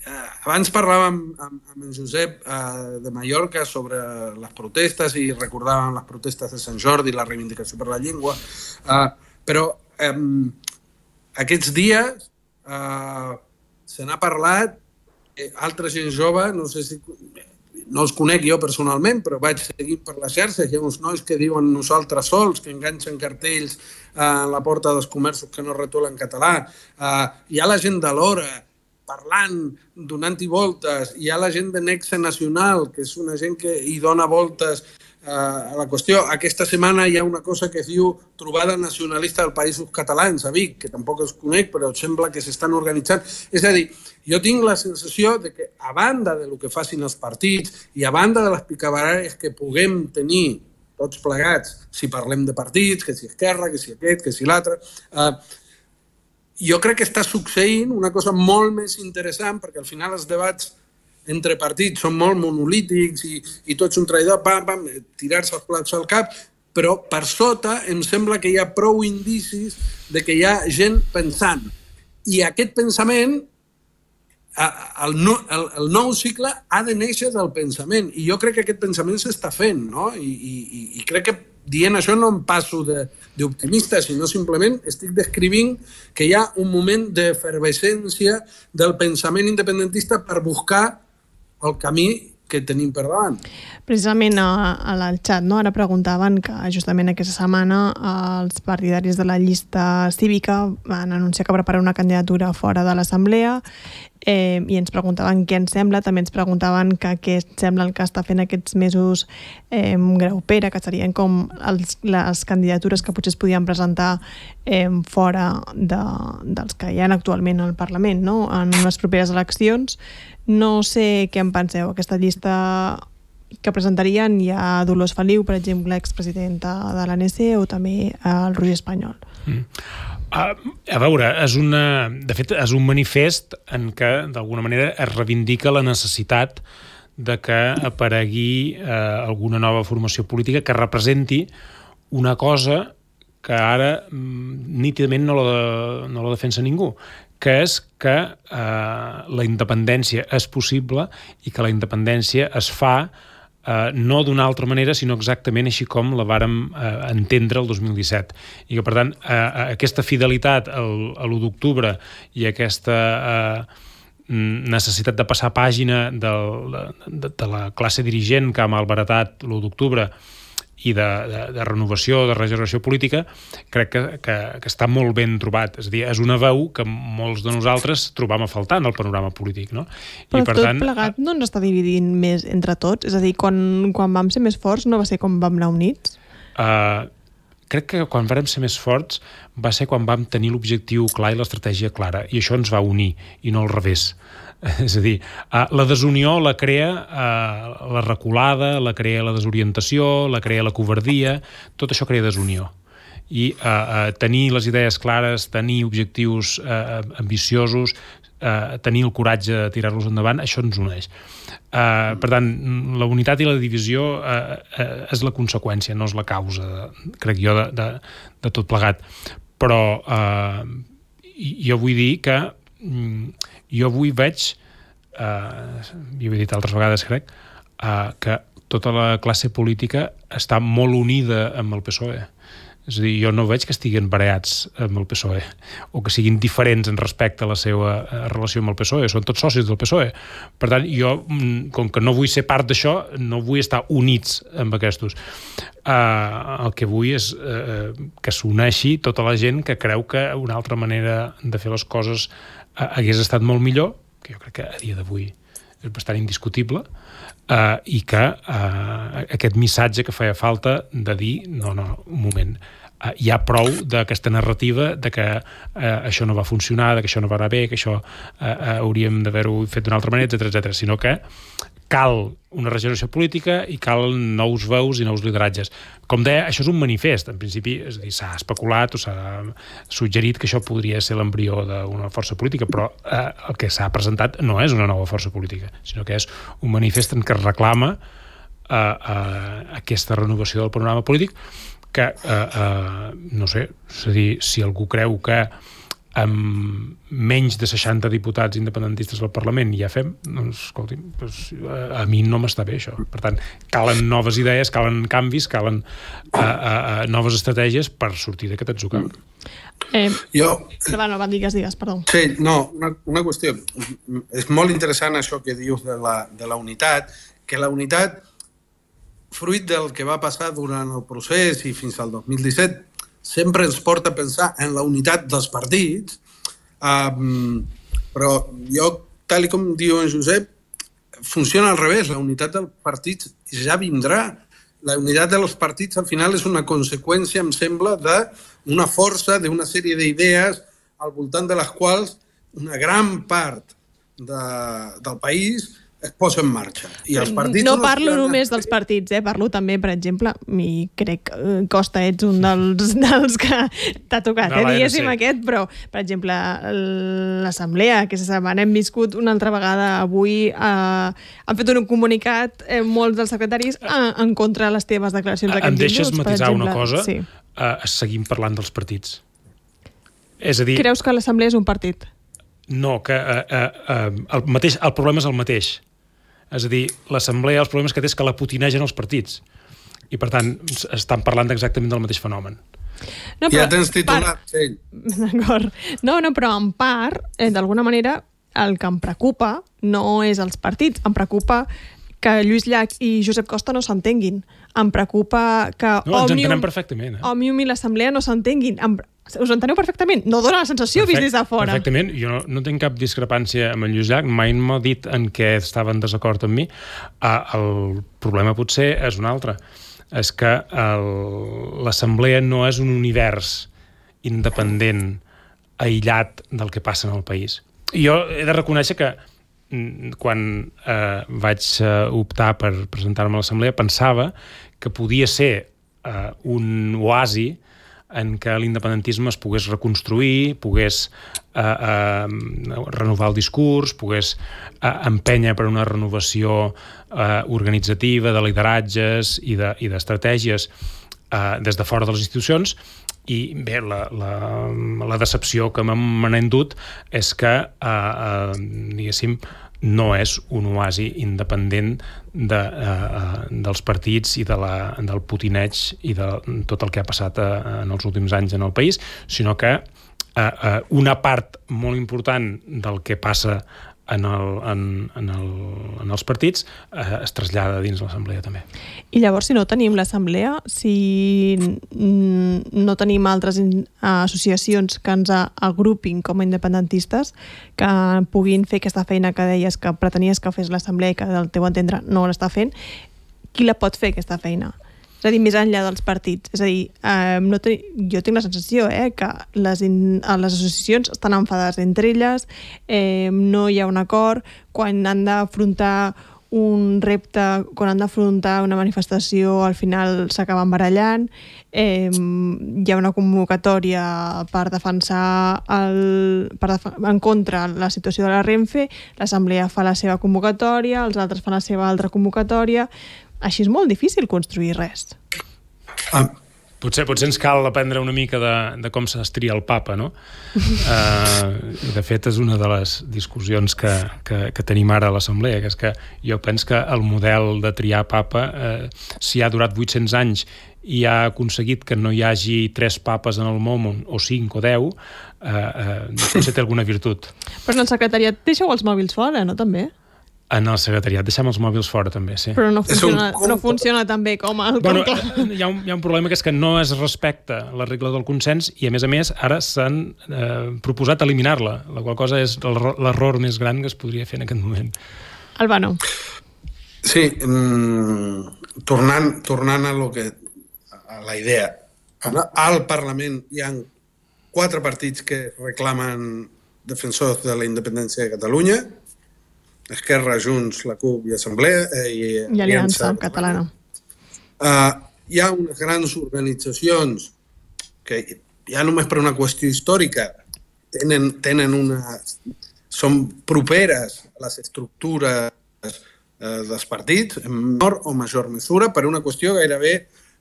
Eh, abans parlàvem amb, amb en Josep eh, de Mallorca sobre les protestes i recordàvem les protestes de Sant Jordi i la reivindicació per la llengua, eh, però eh, aquests dies eh, se n'ha parlat, eh, altra gent jove, no sé si... No els conec jo personalment, però vaig seguir per les xarxes. Hi ha uns nois que diuen nosaltres sols, que enganxen cartells a la porta dels comerços que no retolen català. Uh, hi ha la gent de l'Hora parlant, donant-hi voltes. Hi ha la gent de Nexe Nacional, que és una gent que hi dona voltes a la qüestió. Aquesta setmana hi ha una cosa que es diu Trobada Nacionalista dels Països Catalans a Vic, que tampoc els conec, però sembla que s'estan organitzant. És a dir, jo tinc la sensació de que, a banda del que facin els partits i a banda de les picabaralles que puguem tenir tots plegats, si parlem de partits, que si Esquerra, que si aquest, que si l'altre, eh, jo crec que està succeint una cosa molt més interessant, perquè al final els debats entre partits són molt monolítics i, i tots un traïdor, pam, pam, tirar-se els plats al cap, però per sota em sembla que hi ha prou indicis de que hi ha gent pensant. I aquest pensament, el, el, el nou cicle ha de néixer del pensament. I jo crec que aquest pensament s'està fent, no? I, i, i crec que dient això no em passo d'optimista, sinó simplement estic descrivint que hi ha un moment d'efervescència del pensament independentista per buscar el camí que tenim per davant. Precisament al xat, no? Ara preguntaven que justament aquesta setmana els partidaris de la llista cívica van anunciar que preparen una candidatura fora de l'Assemblea eh, i ens preguntaven què ens sembla, també ens preguntaven que què ens sembla el que està fent aquests mesos eh, Graupera, que serien com els, les candidatures que potser es podien presentar eh, fora de, dels que hi ha actualment al Parlament, no? En les properes eleccions. No sé què en penseu. Aquesta llista que presentarien hi ha Dolors Feliu, per exemple, expresidenta de l'A N C, o també el Roger Espanyol. Mm. A, a veure, és una, de fet, és un manifest en què, d'alguna manera, es reivindica la necessitat de que aparegui eh, alguna nova formació política que representi una cosa que ara mm, nítidament no la, no la defensa ningú, que és que eh, la independència és possible i que la independència es fa eh, no d'una altra manera, sinó exactament així com la vàrem eh, entendre el dos mil disset. I que, per tant, eh, aquesta fidelitat al, a l'u d'octubre i aquesta eh, necessitat de passar pàgina del, de, de la classe dirigent que ha malbaratat l'u d'octubre i de, de, de renovació, de regeneració política, crec que, que, que està molt ben trobat. És a dir, és una veu que molts de nosaltres trobam a faltar en el panorama polític, no? Però I, per tot tant, plegat no ens està dividint més entre tots? És a dir, quan, quan vam ser més forts no va ser com vam anar units? Uh, crec que quan vam ser més forts va ser quan vam tenir l'objectiu clar i l'estratègia clara, i això ens va unir, i no al revés. És a dir, la desunió la crea la reculada, la crea la desorientació, la crea la covardia, tot això crea desunió. I uh, tenir les idees clares, tenir objectius uh, ambiciosos, uh, tenir el coratge de tirar-los endavant, això ens uneix. Uh, per tant, la unitat i la divisió uh, uh, és la conseqüència, no és la causa, crec jo, de, de, de tot plegat. Però uh, jo vull dir que jo avui veig, eh, i ho he dit altres vegades crec, eh, que tota la classe política està molt unida amb el P S O E. És a dir, jo no veig que estiguin barallats amb el P S O E o que siguin diferents en respecte a la seva relació amb el P S O E. Són tots socis del P S O E. Per tant, jo, com que no vull ser part d'això, no vull estar units amb aquestos. Uh, el que vull és uh, que s'uneixi tota la gent que creu que una altra manera de fer les coses uh, hagués estat molt millor, que jo crec que a dia d'avui és bastant indiscutible, uh, i que uh, aquest missatge que feia falta de dir, no, no, un moment, uh, hi ha prou d'aquesta narrativa de que uh, això no va funcionar, de que això no va anar bé, que això uh, uh, hauríem d'haver-ho fet d'una altra manera, etcètera, etcètera, sinó que cal una regeneració política i cal nous veus i nous lideratges. Com deia, això és un manifest, en principi, és a dir, s'ha especulat o s'ha suggerit que això podria ser l'embrió d'una força política, però eh, el que s'ha presentat no és una nova força política, sinó que és un manifest en què es reclama eh, eh, aquesta renovació del panorama polític que, eh, eh, no sé, és a dir, si algú creu que amb menys de seixanta diputats independentistes al Parlament ja fem, doncs, escolti, doncs, a mi no m'està bé això. Per tant, calen noves idees, calen canvis, calen uh, uh, noves estratègies per sortir d'aquest atzucac. Eh, jo... Va, no, va, digues, digues, perdó. Sí, no, una, una qüestió. És molt interessant això que dius de la, de la unitat, que la unitat, fruit del que va passar durant el procés i fins al dos mil disset, sempre ens porta a pensar en la unitat dels partits, um, però jo, tal com diu en Josep, funciona al revés. La unitat dels partits ja vindrà. la unitat de los partits al final és una conseqüència, em sembla, d'una força, d'una sèrie d'idees al voltant de les quals una gran part de, del país es posa en marxa. I els partits no parlo només dels partits, eh? Parlo també, per exemple, mi crec, Costa, ets un dels, dels que t'ha tocat, no, eh? Diguéssim aquest, però, per exemple, l'Assemblea, que aquesta setmana hem viscut una altra vegada avui, eh, han fet un comunicat, eh, molts dels secretaris, eh, en contra de les teves declaracions d'aquests divuts. Em deixes matisar una cosa? Sí. Eh, seguim parlant dels partits. És a dir... Creus que l'Assemblea és un partit? No, que eh, eh, el, mateix, el problema és el mateix. És a dir, l'Assemblea, els problemes que té és que la putinegen els partits. I, per tant, estan parlant exactament del mateix fenomen. No, ja tens titulat, sí. D'acord. No, no, però en part, eh, d'alguna manera, el que em preocupa no és els partits. Em preocupa que Lluís Llach i Josep Costa no s'entenguin. Em preocupa que no, Òmnium, perfectament, eh? Òmnium i l'Assemblea no s'entenguin. Em... Us enteneu perfectament? No dona la sensació Perfect, vist des de fora. Perfectament. Jo no, no tinc cap discrepància amb en Lluís Llach. Mai m'ha dit en què estava en desacord amb mi. Uh, el problema potser és un altre. És que l'Assemblea no és un univers independent, aïllat del que passa en el país. I jo he de reconèixer que quan uh, vaig uh, optar per presentar-me a l'Assemblea pensava que podia ser uh, un oasi en què l'independentisme es pogués reconstruir, pogués eh, eh, renovar el discurs, pogués eh, empènyer per una renovació eh, organitzativa de lideratges i d'estratègies eh, des de fora de les institucions. I bé, la, la, la decepció que me n'he endut és que, eh, eh, diguéssim, no és un oasi independent de, uh, dels partits i de la, del putineig i de tot el que ha passat uh, en els últims anys en el país, sinó que uh, uh, una part molt important del que passa en, el, en, en, el, en els partits uh, es trasllada dins l'Assemblea també. I llavors, si no tenim l'Assemblea, si no tenim altres associacions que ens agrupin com a independentistes, que puguin fer aquesta feina que deies que pretenies que fes l'Assemblea i que del teu entendre no l'està fent, qui la pot fer aquesta feina? És a dir, més enllà dels partits. És a dir, eh, no ten... jo tinc la sensació eh, que les, in... les associacions estan enfadades entre elles, eh, no hi ha un acord, quan han d'afrontar un repte, quan han d'afrontar una manifestació, al final s'acaben barallant, eh, hi ha una convocatòria per defensar el, per def en contra la situació de la Renfe, l'Assemblea fa la seva convocatòria, els altres fan la seva altra convocatòria. Així és molt difícil construir res. Ah. Potser, potser ens cal aprendre una mica de, de com s'estria el papa, no? Uh, de fet, és una de les discussions que, que, que tenim ara a l'Assemblea, que és que jo penso que el model de triar papa, uh, si ha durat vuit-cents anys i ha aconseguit que no hi hagi tres papes en el món, o cinc o deu, uh, uh, potser té alguna virtut. Però en el secretariat deixeu els mòbils fora, no, també? En el secretariat deixem els mòbils fora també, sí. Però no funciona, no funciona tan bé com el bueno, hi, ha un, hi ha un problema que és que no es respecta la regla del consens i a més a més ara s'han eh, proposat eliminar-la, la qual cosa és l'error més gran que es podria fer en aquest moment. Albano. Sí, mm, tornant, tornant a, lo que, a la idea. Al Parlament hi ha quatre partits que reclamen defensors de la independència de Catalunya: Esquerra, Junts, la CUP i Assemblea eh, i, i Aliança Catalana. Uh, hi ha unes grans organitzacions que ja només per una qüestió històrica tenen, tenen una, són properes a les estructures uh, dels partits en menor o major mesura per una qüestió gairebé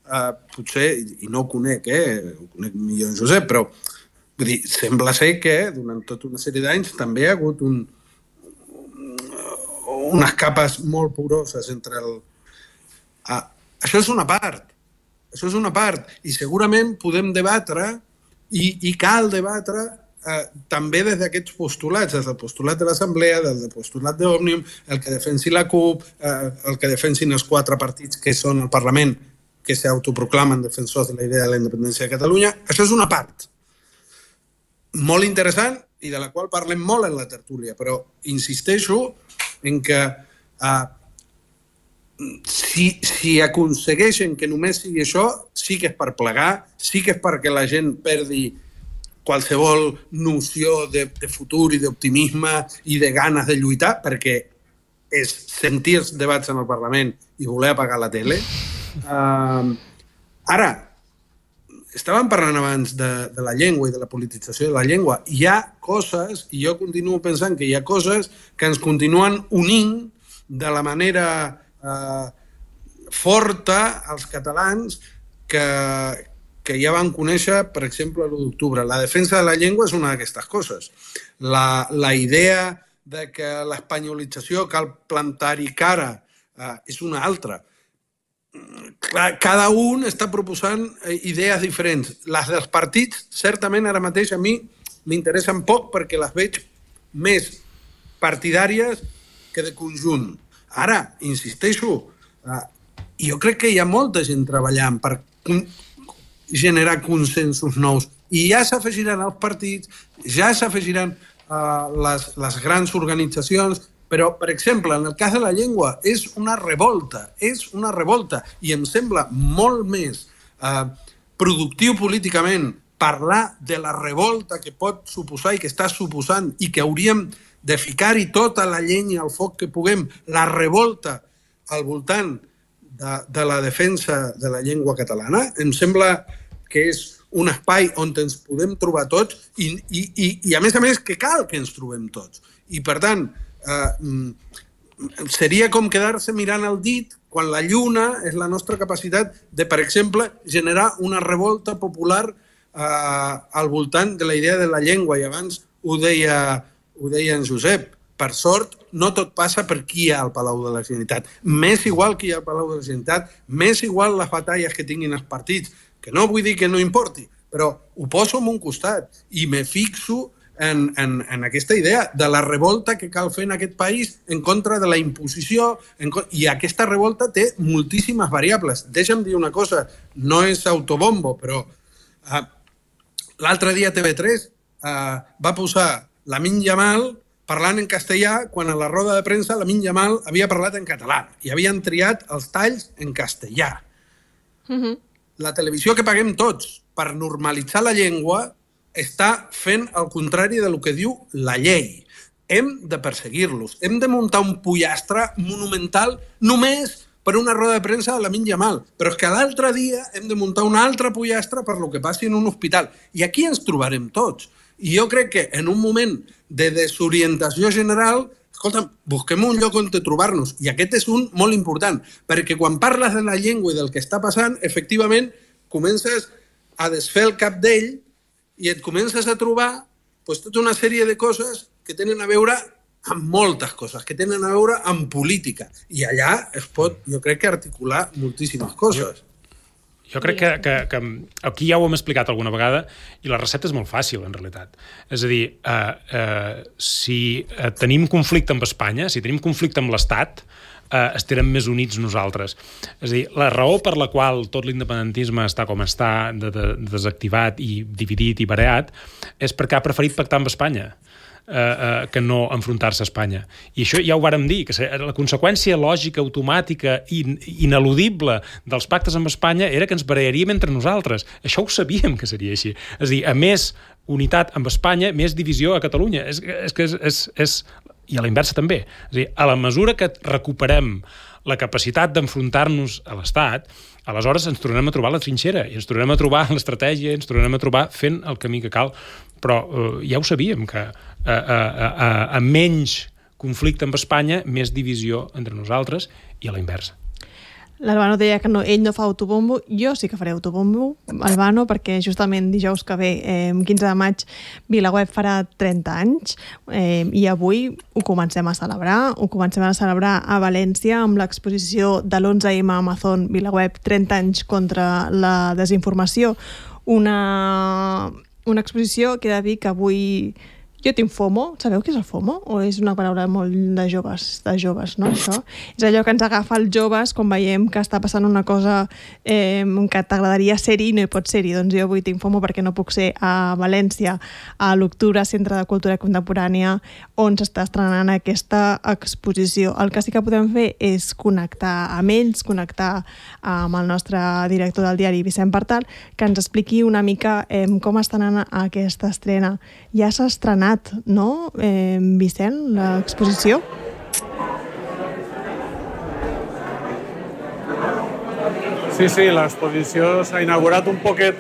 uh, potser, i no ho conec, eh, ho conec millor en Josep, però vull dir, sembla ser que durant tota una sèrie d'anys també hi ha hagut un unes capes molt poroses entre el... Ah, això és una part. Això és una part. I segurament podem debatre i, i cal debatre eh, també des d'aquests postulats, des del postulat de l'Assemblea, des del postulat d'Òmnium, el que defensi la CUP, eh, el que defensin els quatre partits que són al Parlament, que s'autoproclamen defensors de la idea de la independència de Catalunya. Això és una part molt interessant i de la qual parlem molt en la tertúlia, però insisteixo en que uh, si, si aconsegueixen que només sigui això, sí que és per plegar, sí que és perquè la gent perdi qualsevol noció de, de futur i d'optimisme i de ganes de lluitar, perquè és sentir els debats en el Parlament i voler apagar la tele. Uh, ara, estàvem parlant abans de, de la llengua i de la politització de la llengua. Hi ha coses, i jo continuo pensant que hi ha coses que ens continuen unint de la manera eh, forta als catalans que, que ja van conèixer, per exemple, l'u d'octubre. La defensa de la llengua és una d'aquestes coses. La, la idea de que l'espanyolització cal plantar-hi cara eh, és una altra. Cada un està proposant idees diferents. Les dels partits, certament, ara mateix a mi m'interessen poc perquè les veig més partidàries que de conjunt. Ara, insisteixo, jo crec que hi ha molta gent treballant per generar consensos nous i ja s'afegiran els partits, ja s'afegiran les, les grans organitzacions. Però, per exemple, en el cas de la llengua, és una revolta, és una revolta. I em sembla molt més eh, productiu políticament parlar de la revolta que pot suposar i que està suposant i que hauríem de ficar-hi tota la llenya al foc que puguem, la revolta al voltant de, de la defensa de la llengua catalana. Em sembla que és un espai on ens podem trobar tots i, i, i, i a més a més, que cal que ens trobem tots. I, per tant, Uh, seria com quedar-se mirant el dit quan la lluna és la nostra capacitat de, per exemple, generar una revolta popular uh, al voltant de la idea de la llengua. I abans ho deia, ho deia en Josep. Per sort, no tot passa per qui hi ha al Palau de la Generalitat. M'és igual qui hi ha al Palau de la Generalitat, m'és igual les batalles que tinguin els partits, que no vull dir que no importi, però ho poso en un costat i me fixo En, en, en aquesta idea de la revolta que cal fer en aquest país en contra de la imposició, en, i aquesta revolta té moltíssimes variables. Deixa'm dir una cosa, no és autobombo, però uh, l'altre dia T V tres uh, va posar Lamine Yamal parlant en castellà quan a la roda de premsa Lamine Yamal havia parlat en català i havien triat els talls en castellà. Mm-hmm. La televisió que paguem tots per normalitzar la llengua està fent el contrari del que diu la llei. Hem de perseguir-los. Hem de muntar un pollastre monumental només per una roda de premsa de Lamine Yamal. Però és que l'altre dia hem de muntar un altre pollastre per lo que passi en un hospital. I aquí ens trobarem tots. I jo crec que en un moment de desorientació general, escolta'm, busquem un lloc on trobar-nos. I aquest és un molt important, perquè quan parles de la llengua i del que està passant, efectivament, comences a desfer el cap d'ell i et comences a trobar pues, tota una sèrie de coses que tenen a veure amb moltes coses, que tenen a veure amb política. I allà es pot, jo crec que articular moltíssimes coses. Jo, jo crec que, que, que aquí ja ho hem explicat alguna vegada i la recepta és molt fàcil, en realitat. És a dir, eh, eh, si tenim conflicte amb Espanya, si tenim conflicte amb l'Estat, eh, estarem més units nosaltres. És a dir, la raó per la qual tot l'independentisme està com està, de, de, desactivat i dividit i bareat, és perquè ha preferit pactar amb Espanya. Eh, eh, que no enfrontar-se a Espanya. I això ja ho vàrem dir, que la conseqüència lògica, automàtica i ineludible dels pactes amb Espanya era que ens barrejaríem entre nosaltres. Això ho sabíem que seria així. És a dir, a més unitat amb Espanya, més divisió a Catalunya. És, és que és, és, és i a la inversa també. És a dir, a la mesura que recuperem la capacitat d'enfrontar-nos a l'Estat, aleshores ens tornem a trobar la trinxera i ens tornem a trobar l'estratègia, ens tornem a trobar fent el camí que cal. Però eh, ja ho sabíem, que a, a, a, a menys conflicte amb Espanya, més divisió entre nosaltres i a la inversa. L'Albano deia que no, ell no fa autobombo, jo sí que faré autobombo, Albano, perquè justament dijous que ve, eh, quinze de maig, VilaWeb farà trenta anys, eh, i avui ho comencem a celebrar, ho comencem a celebrar a València amb l'exposició de l'onze eme Amazon VilaWeb trenta anys contra la desinformació, una, una exposició que he de dir que avui Jo tinc FOMO, sabeu què és el FOMO? O és una paraula molt de joves, de joves, no, això? És allò que ens agafa els joves quan veiem que està passant una cosa eh, que t'agradaria ser-hi i no hi pots ser-hi. Doncs jo avui tinc FOMO perquè no puc ser a València a l'Octubre, Centre de Cultura Contemporània, on s'està estrenant aquesta exposició. El que sí que podem fer és connectar amb ells, connectar amb el nostre director del diari, Vicent Partal, que ens expliqui una mica eh, com està anant aquesta estrena. Ja s'ha estrenat, no, eh, Vicent, l'exposició? Sí, sí, l'exposició s'ha inaugurat un poquet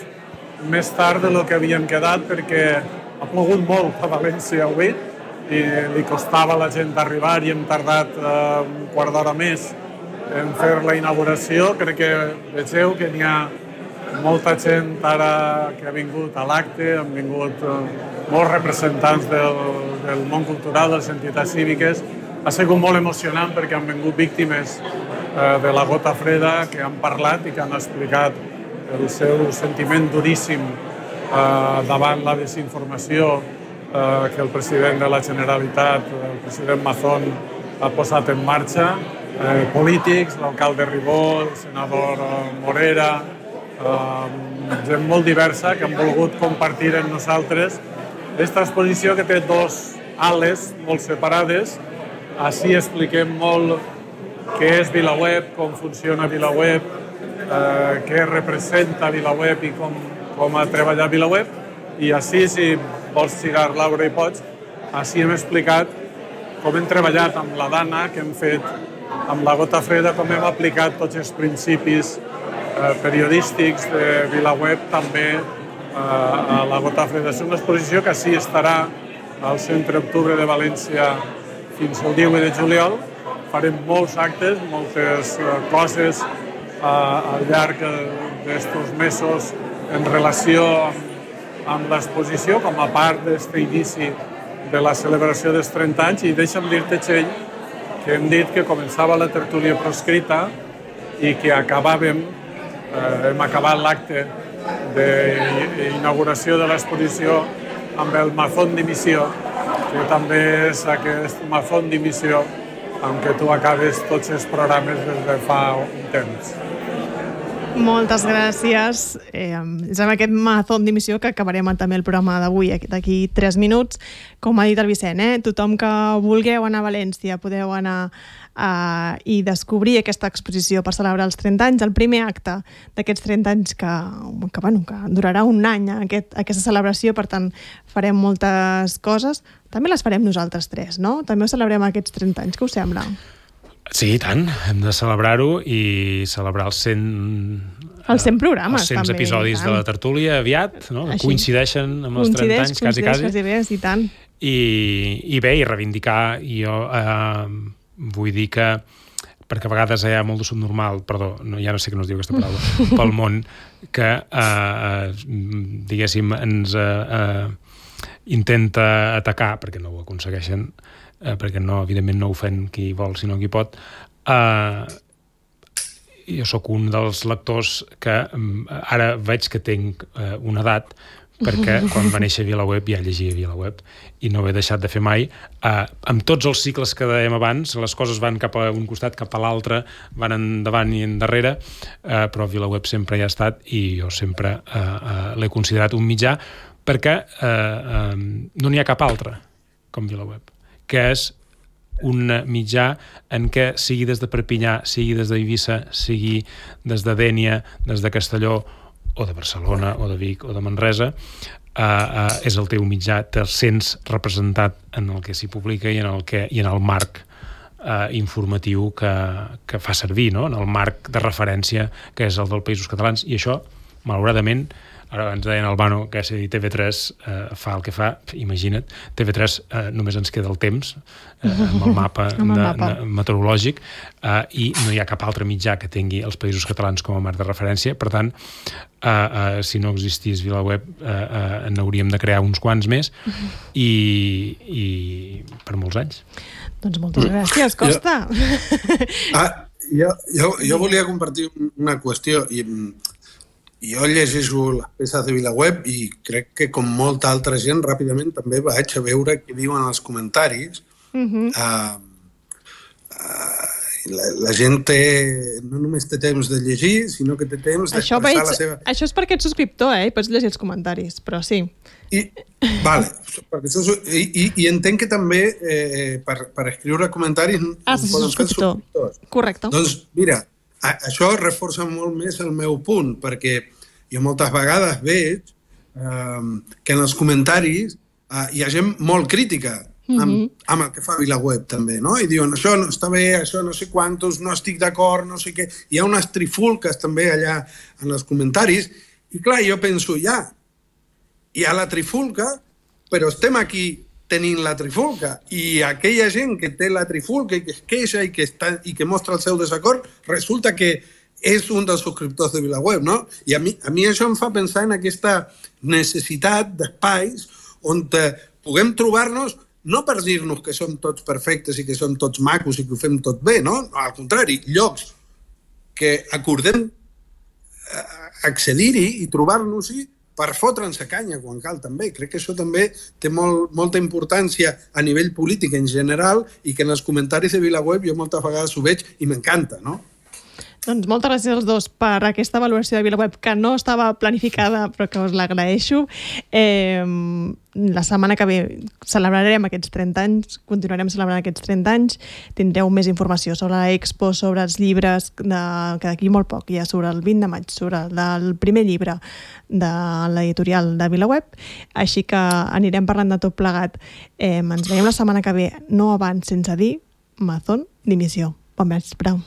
més tard de lo que havien quedat perquè ha plogut molt a València avui i li costava a la gent arribar i hem tardat eh, un quart d'hora més en fer la inauguració. Crec que vegeu que n'hi ha molta gent ara que ha vingut a l'acte, han vingut eh, molts representants del, del món cultural, de les entitats cíviques. Ha sigut molt emocionant perquè han vingut víctimes eh, de la gota freda que han parlat i que han explicat el seu sentiment duríssim eh, davant la desinformació eh, que el president de la Generalitat, el president Mazón, ha posat en marxa. Eh, polítics, l'alcalde Ribó, el senador Morera, eh, gent molt diversa que han volgut compartir amb nosaltres aquesta exposició que té dos ales molt separades. Així expliquem molt què és VilaWeb, com funciona VilaWeb, eh, què representa VilaWeb i com, com ha treballat VilaWeb. I així, si vols girar, Laura, i pots, així hem explicat com hem treballat amb la Dana, que hem fet amb la gota freda, com hem aplicat tots els principis eh, periodístics de VilaWeb també eh, a la gota freda. És una exposició que així estarà al Centre Octubre de València fins al divuit de juliol. Farem molts actes, moltes eh, coses eh, al llarg d'estos mesos en relació amb, amb l'exposició, com a part d'aquest inici de la celebració dels trenta anys. I deixa'm dir-te, Txell, que hem dit que començava la tertúlia proscrita i que acabàvem, eh, hem acabat l'acte d'inauguració de l'exposició amb el Mazón d'Emissió, que també és aquest Mazón d'Emissió amb què tu acabes tots els programes des de fa un temps. Moltes gràcies. Eh, és amb aquest Mazón d'emissió que acabarem també el programa d'avui, d'aquí tres minuts. Com ha dit el Vicent, eh, tothom que vulgueu anar a València podeu anar eh, i descobrir aquesta exposició per celebrar els trenta anys, el primer acte d'aquests trenta anys que, que, bueno, que durarà un any, aquest, aquesta celebració. Per tant, farem moltes coses. També les farem nosaltres tres, no? També ho celebrem aquests trenta anys. Què us sembla? Sí, i tant. Hem de celebrar-ho i celebrar els cent... Els cent programes, els cent també. episodis de la tertúlia aviat, no? Així. Coincideixen amb els trenta anys, quasi, quasi. Coincideix, bé, i tant. I, I bé, i reivindicar, i jo eh, vull dir que, perquè a vegades hi ha molt de subnormal, perdó, no, ja no sé que no es diu aquesta paraula, pel món, que, eh, diguéssim, ens eh, eh, intenta atacar, perquè no ho aconsegueixen, eh, perquè no, evidentment no ho fem qui vol, sinó qui pot. Eh, jo sóc un dels lectors que eh, ara veig que tinc eh, una edat, perquè quan va néixer VilaWeb ja llegia VilaWeb i no ho he deixat de fer mai. Eh, amb tots els cicles que dèiem abans, les coses van cap a un costat, cap a l'altre, van endavant i endarrere, eh, però VilaWeb sempre hi ha estat i jo sempre eh, eh, l'he considerat un mitjà perquè eh, eh, no n'hi ha cap altre com VilaWeb, que és un mitjà en què sigui des de Perpinyà, sigui des d'Eivissa, sigui des de Dénia, des de Castelló, o de Barcelona, o de Vic, o de Manresa, eh, eh, és el teu mitjà, te'l sents representat en el que s'hi publica i en el, que, i en el marc eh, informatiu que, que fa servir, no? En el marc de referència que és el dels Països Catalans. I això, malauradament, ara ens deien Albano que si T V tres eh, fa el que fa, imagina't, T V tres eh, només ens queda el temps eh, amb el mapa, amb el mapa. De, de, meteorològic eh, i no hi ha cap altre mitjà que tingui els Països Catalans com a marc de referència. Per tant, eh, eh, si no existís VilaWeb eh, eh, n'hauríem de crear uns quants més i, i per molts anys. Doncs moltes gràcies, Costa. Jo, ah, jo, jo, jo volia compartir una qüestió i jo llegeixo les peces de VilaWeb i crec que, com molta altra gent, ràpidament també vaig a veure què diuen els comentaris. Uh-huh. Uh, uh, la, la gent té, no només té temps de llegir, sinó que té temps d'expressar veig, la seva... Això és perquè ets subscriptor, eh? I pots llegir els comentaris, però sí. I, vale, perquè això, i, i, i entenc que també eh, per, per escriure comentaris ah, sí, poden fer subscriptors. Correcte. Doncs mira, a, això reforça molt més el meu punt, perquè jo moltes vegades veig eh, que en els comentaris eh, hi ha gent molt crítica amb, mm-hmm. amb el que fa VilaWeb també, no? I diuen, això no està bé, això no sé quantos, no estic d'acord, no sé què. Hi ha unes trifulques també allà en els comentaris i clar, jo penso, ja, hi ha la trifulca, però estem aquí tenint la trifulca i aquella gent que té la trifulca i que es queixa i que, està, i que mostra el seu desacord, resulta que és un dels subscriptors de VilaWeb, no? I a mi, a mi això em fa pensar en aquesta necessitat d'espais on puguem trobar-nos no per dir-nos que som tots perfectes i que som tots macos i que ho fem tot bé, no? Al contrari, llocs que acordem accedir-hi i trobar-nos-hi per fotre'ns a canya quan cal també. Crec que això també té molt, molta importància a nivell polític en general i que en els comentaris de VilaWeb jo moltes vegades ho veig i m'encanta, no? Doncs moltes gràcies als dos per aquesta valoració de VilaWeb que no estava planificada però que us l'agraeixo. Eh, la setmana que ve celebrarem aquests trenta anys, continuarem celebrant aquests trenta anys, tindreu més informació sobre l'Expo, sobre els llibres, de, que d'aquí molt poc, ja sobre el vint de maig, sobre el primer llibre de l'editorial de VilaWeb, així que anirem parlant de tot plegat. Eh, ens veiem la setmana que ve, no abans sense dir Amazon dimissió. Bon vespre.